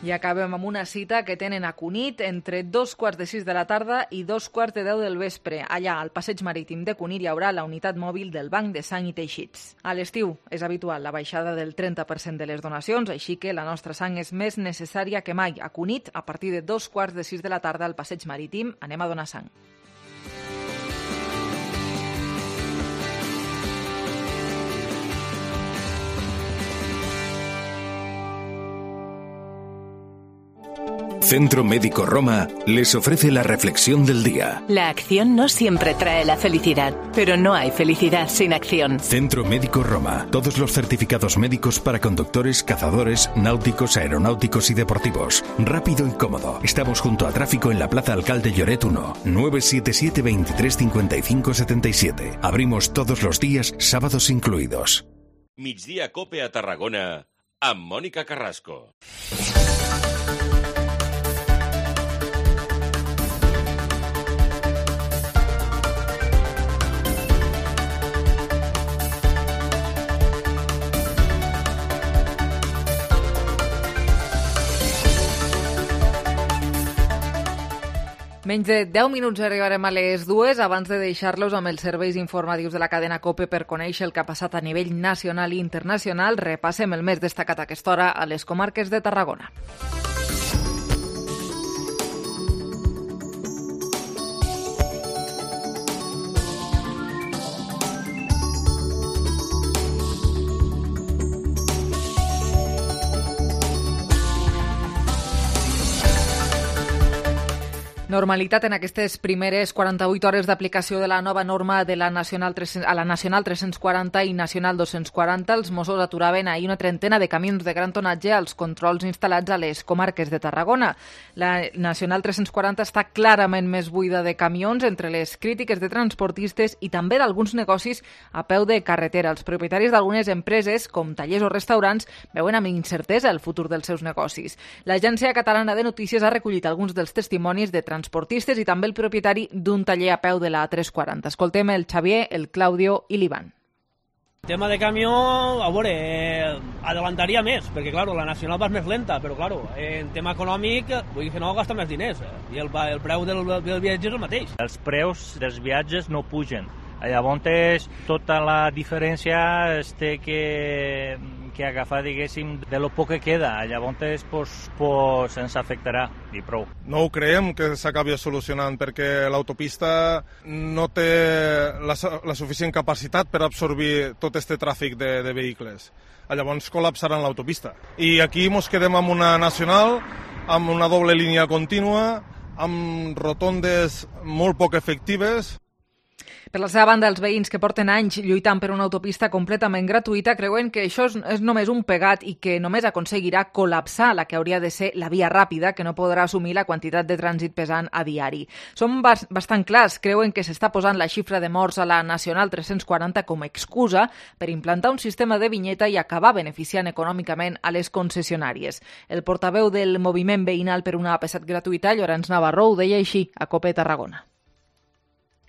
I acabem amb una cita que tenen a Cunit entre dos quarts de sis de la tarda i dos quarts de deu del vespre. Allà, al passeig marítim de Cunit, hi haurà la unitat mòbil del Banc de Sang i Teixits. A l'estiu és habitual la baixada del trenta per cent de les donacions, així que la nostra sang és més necessària que mai. A Cunit, a partir de dos quarts de sis de la tarda al passeig marítim, anem a donar sang. Centro Médico Roma les ofrece la reflexión del día. La acción no siempre trae la felicidad, pero no hay felicidad sin acción. Centro Médico Roma. Todos los certificados médicos para conductores, cazadores, náuticos, aeronáuticos y deportivos. Rápido y cómodo. Estamos junto a tráfico en la Plaza Alcalde Lloret uno. nueve siete siete, veintitrés cincuenta y cinco setenta y siete. Abrimos todos los días, sábados incluidos. Migdia Cope a Tarragona amb Mònica Carrasco. Menys de deu minuts arribarem a les dues abans de deixar-los amb els serveis informatius de la cadena COPE per conèixer el que ha passat a nivell nacional i internacional. Repassem el més destacat a aquesta hora a les comarques de Tarragona. Normalitat en aquestes primeres quaranta-vuit hores d'aplicació de la nova norma de la Nacional tres cents, a la Nacional tres-cents quaranta i Nacional dos-cents quaranta. Els Mossos aturaven ahir una trentena de camions de gran tonatge als controls instal·lats a les comarques de Tarragona. La Nacional tres-cents quaranta està clarament més buida de camions entre les crítiques de transportistes i també d'alguns negocis a peu de carretera. Els propietaris d'algunes empreses, com tallers o restaurants, veuen amb incertesa el futur dels seus negocis. L'Agència Catalana de Notícies ha recollit alguns dels testimonis de transportistes transportistes i també el propietari d'un taller a peu de la A tres cents quaranta. Escoltem el Xavier, el Claudio i l'Ivan. Tema de camió, a veure, eh, adelantaria més, perquè, claro, la nacional va més lenta, però, claro, en tema econòmic, vull dir que no gasta més diners, eh, i el, el preu del, del viatge és el mateix. Els preus dels viatges no pugen. Llavors, tota la diferència es té que, que agafar, diguéssim, de lo poc que queda. Llavors, pues, pues, ens afectarà, i prou. No ho creiem que s'acabi solucionant, perquè l'autopista no té la, la suficient capacitat per absorbir tot este tràfic de, de vehicles. Llavors col·lapsaran l'autopista. I aquí ens quedem amb una nacional, amb una doble línia contínua, amb rotondes molt poc efectives. Per la seva banda, els veïns que porten anys lluitant per una autopista completament gratuïta creuen que això és només un pegat i que només aconseguirà col·lapsar la que hauria de ser la via ràpida, que no podrà assumir la quantitat de trànsit pesant a diari. Són bastant clars, creuen que s'està posant la xifra de morts a la Nacional tres-cents quaranta com a excusa per implantar un sistema de vinyeta i acabar beneficiant econòmicament a les concessionàries. El portaveu del moviment veïnal per una A P set gratuïta, Llorenç Navarro, ho deia així a COPE Tarragona.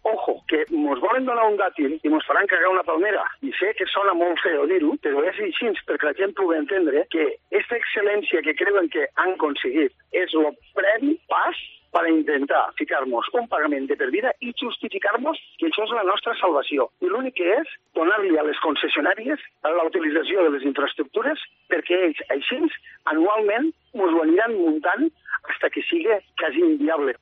Ojo, que ens volen donar un dàtil i ens faran cagar una palmera. I sé que sona molt feo dir-ho, però és així perquè la gent pugui entendre que aquesta excel·lència que creuen que han aconseguit és el previ pas per intentar ficar-nos un pagament de per vida i justificar-nos que això és la nostra salvació. I l'únic que és donar-li a les concessionàries la utilització de les infraestructures perquè ells així anualment ens ho aniran muntant fins que sigui quasi inviable.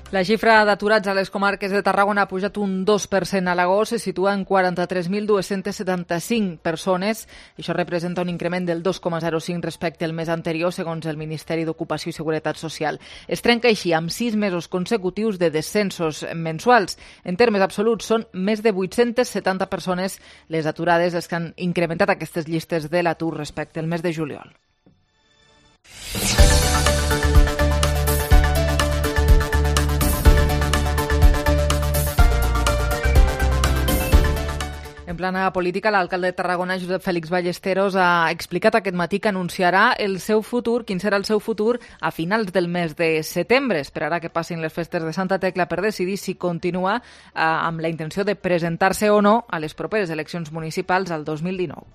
La xifra d'aturats a les comarques de Tarragona ha pujat un dos per cent a l'agost, se situa en quaranta-tres mil dos-cents setanta-cinc persones. Això representa un increment del dos coma zero cinc respecte al mes anterior, segons el Ministeri d'Ocupació i Seguretat Social. Es trenca així amb sis mesos consecutius de descensos mensuals. En termes absoluts, són més de vuit-cents setanta persones les aturades les que han incrementat aquestes llistes de l'atur respecte al mes de juliol. En plana política, l'alcalde de Tarragona, Josep Fèlix Ballesteros, ha explicat aquest matí que anunciarà el seu futur, quin serà el seu futur, a finals del mes de setembre. Esperarà que passin les festes de Santa Tecla per decidir si continua eh, amb la intenció de presentar-se o no a les properes eleccions municipals al dos mil dinou.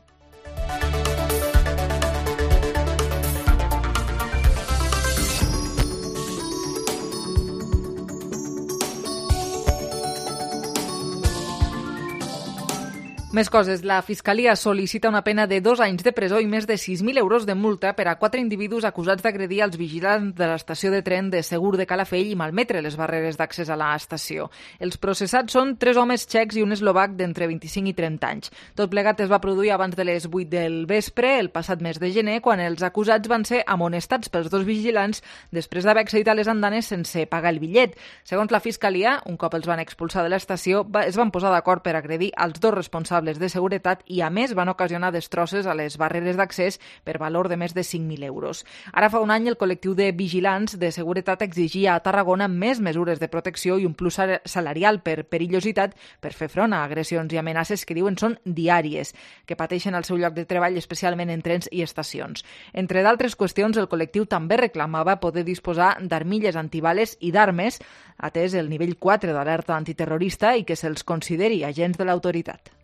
Més coses. La Fiscalia sol·licita una pena de dos anys de presó i més de sis mil euros de multa per a quatre individus acusats d'agredir els vigilants de l'estació de tren de Segur de Calafell i malmetre les barreres d'accés a l'estació. Els processats són tres homes txecs i un eslovac d'entre vint-i-cinc i trenta anys. Tot plegat es va produir abans de les vuit del vespre, el passat mes de gener, quan els acusats van ser amonestats pels dos vigilants després d'haver accedit a les andanes sense pagar el bitllet. Segons la Fiscalia, un cop els van expulsar de l'estació, es van posar d'acord per agredir els dos responsables de seguretat i, a més, van ocasionar destrosses a les barreres d'accés per valor de més de cinc mil euros. Ara fa un any el col·lectiu de vigilants de seguretat exigia a Tarragona més mesures de protecció i un plus salarial per perillositat per fer front a agressions i amenaces que diuen són diàries, que pateixen al seu lloc de treball, especialment en trens i estacions. Entre d'altres qüestions, el col·lectiu també reclamava poder disposar d'armilles antibales i d'armes, atès el nivell quatre d'alerta antiterrorista i que se'ls consideri agents de l'autoritat.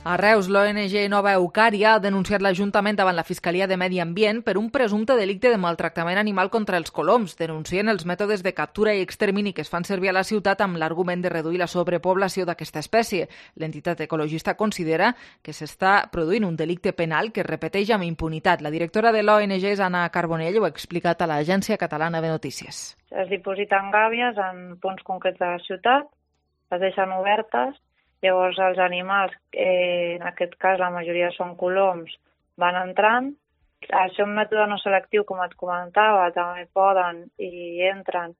A Reus, l'O N G Nova Eucària ha denunciat l'Ajuntament davant la Fiscalia de Medi Ambient per un presumpte delicte de maltractament animal contra els coloms. Denuncien els mètodes de captura i extermini que es fan servir a la ciutat amb l'argument de reduir la sobrepoblació d'aquesta espècie. L'entitat ecologista considera que s'està produint un delicte penal que es repeteix amb impunitat. La directora de l'O N G és Anna Carbonell, ho ha explicat a l'Agència Catalana de Notícies. Es dipositen gàbies en punts concrets de la ciutat, es deixen obertes. Llavors els animals, eh, en aquest cas la majoria són coloms, van entrant. Al ser un mètode no selectiu, com et comentava, també poden i entren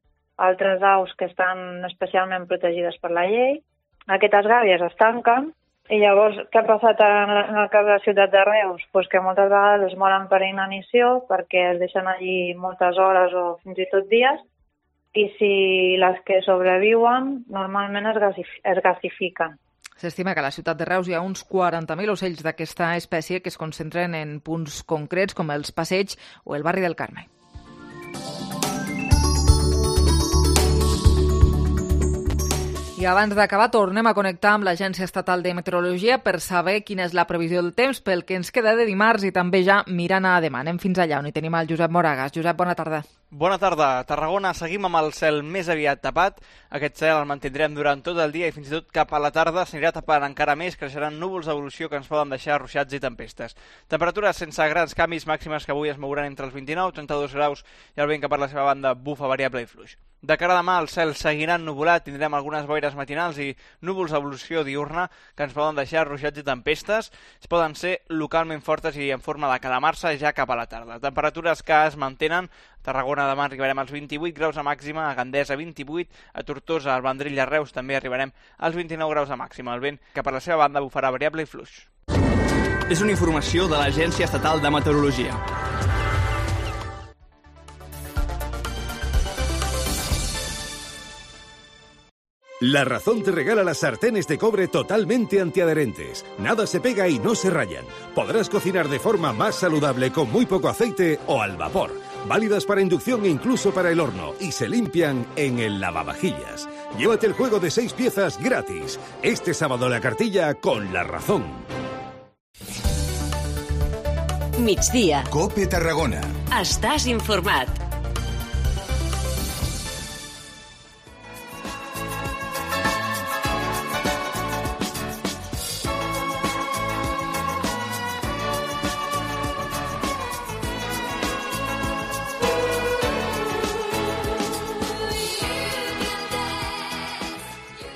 altres aus que estan especialment protegides per la llei. Aquestes gàbies es tanquen i llavors què ha passat en el cas de la ciutat de Reus? Pues que moltes vegades es moren per inanició perquè es deixen allí moltes hores o fins i tot dies i si les que sobreviuen normalment es, gasif- es gasifiquen. S'estima que a la ciutat de Reus hi ha uns quaranta mil ocells d'aquesta espècie que es concentren en punts concrets com els Passeigs o el barri del Carme. I abans d'acabar tornem a connectar amb l'Agència Estatal de Meteorologia per saber quina és la previsió del temps pel que ens queda de dimarts i també ja mirant a demà. Anem fins allà on hi tenim el Josep Moragas. Josep, bona tarda. Bona tarda. A Tarragona seguim amb el cel més aviat tapat. Aquest cel el mantindrem durant tot el dia i fins i tot cap a la tarda s'anirà tapant encara més, creixeran núvols d'evolució que ens poden deixar ruixats i tempestes. Temperatures sense grans canvis, màximes que avui es mouran entre els vint-i-nou i trenta-dos graus i el vent que per la seva banda bufa variable i fluix. De cara a demà el cel seguirà ennuvolat, tindrem algunes boires matinals i núvols d'evolució diurna que ens poden deixar ruixats i tempestes. Es poden ser localment fortes i en forma de calamar-se ja cap a la tarda. Temperatures que es mantenen. A Tarragona demà arribarem als vint-i-vuit graus de màxima, a Gandesa vint-i-vuit, a Tortosa, al Vendrell i a Reus també arribarem als vint-i-nou graus de màxima. El vent que per la seva banda bufarà variable i fluix. És una informació de l'Agència Estatal de Meteorologia. La Razón te regala las sartenes de cobre totalmente antiadherentes. Nada se pega y no se rayan. Podrás cocinar de forma más saludable con muy poco aceite o al vapor. Válidas para inducción e incluso para el horno. Y se limpian en el lavavajillas. Llévate el juego de seis piezas gratis. Este sábado la cartilla con La Razón. Migdia. COPE Tarragona. Estàs informat.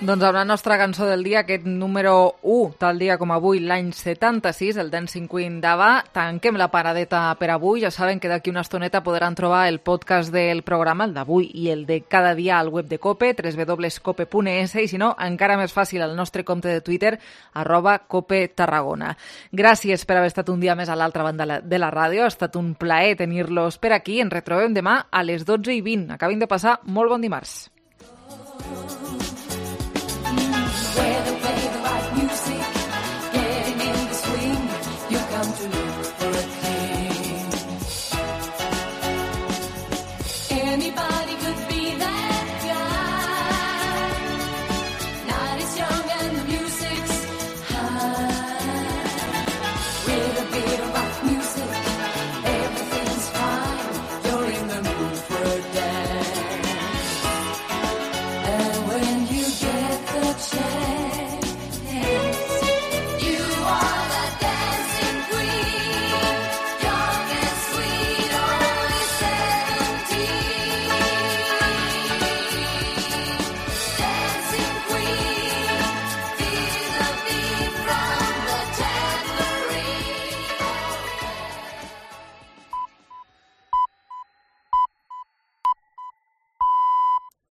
Doncs amb la nostra cançó del dia, aquest número u, tal dia com avui, l'any setanta-sis, el Dancing Queen d'Ava, tanquem la paradeta per avui. Ja saben que d'aquí una estoneta podran trobar el podcast del programa, el d'avui i el de cada dia al web de COPE, w w w punt cope punt es, i si no, encara més fàcil, al nostre compte de Twitter, arroba Cope Tarragona. Gràcies per haver estat un dia més a l'altra banda de la ràdio. Ha estat un plaer tenir-los per aquí. Ens retrobem demà a les dotze i vint. Acabin de passar molt bon dimarts.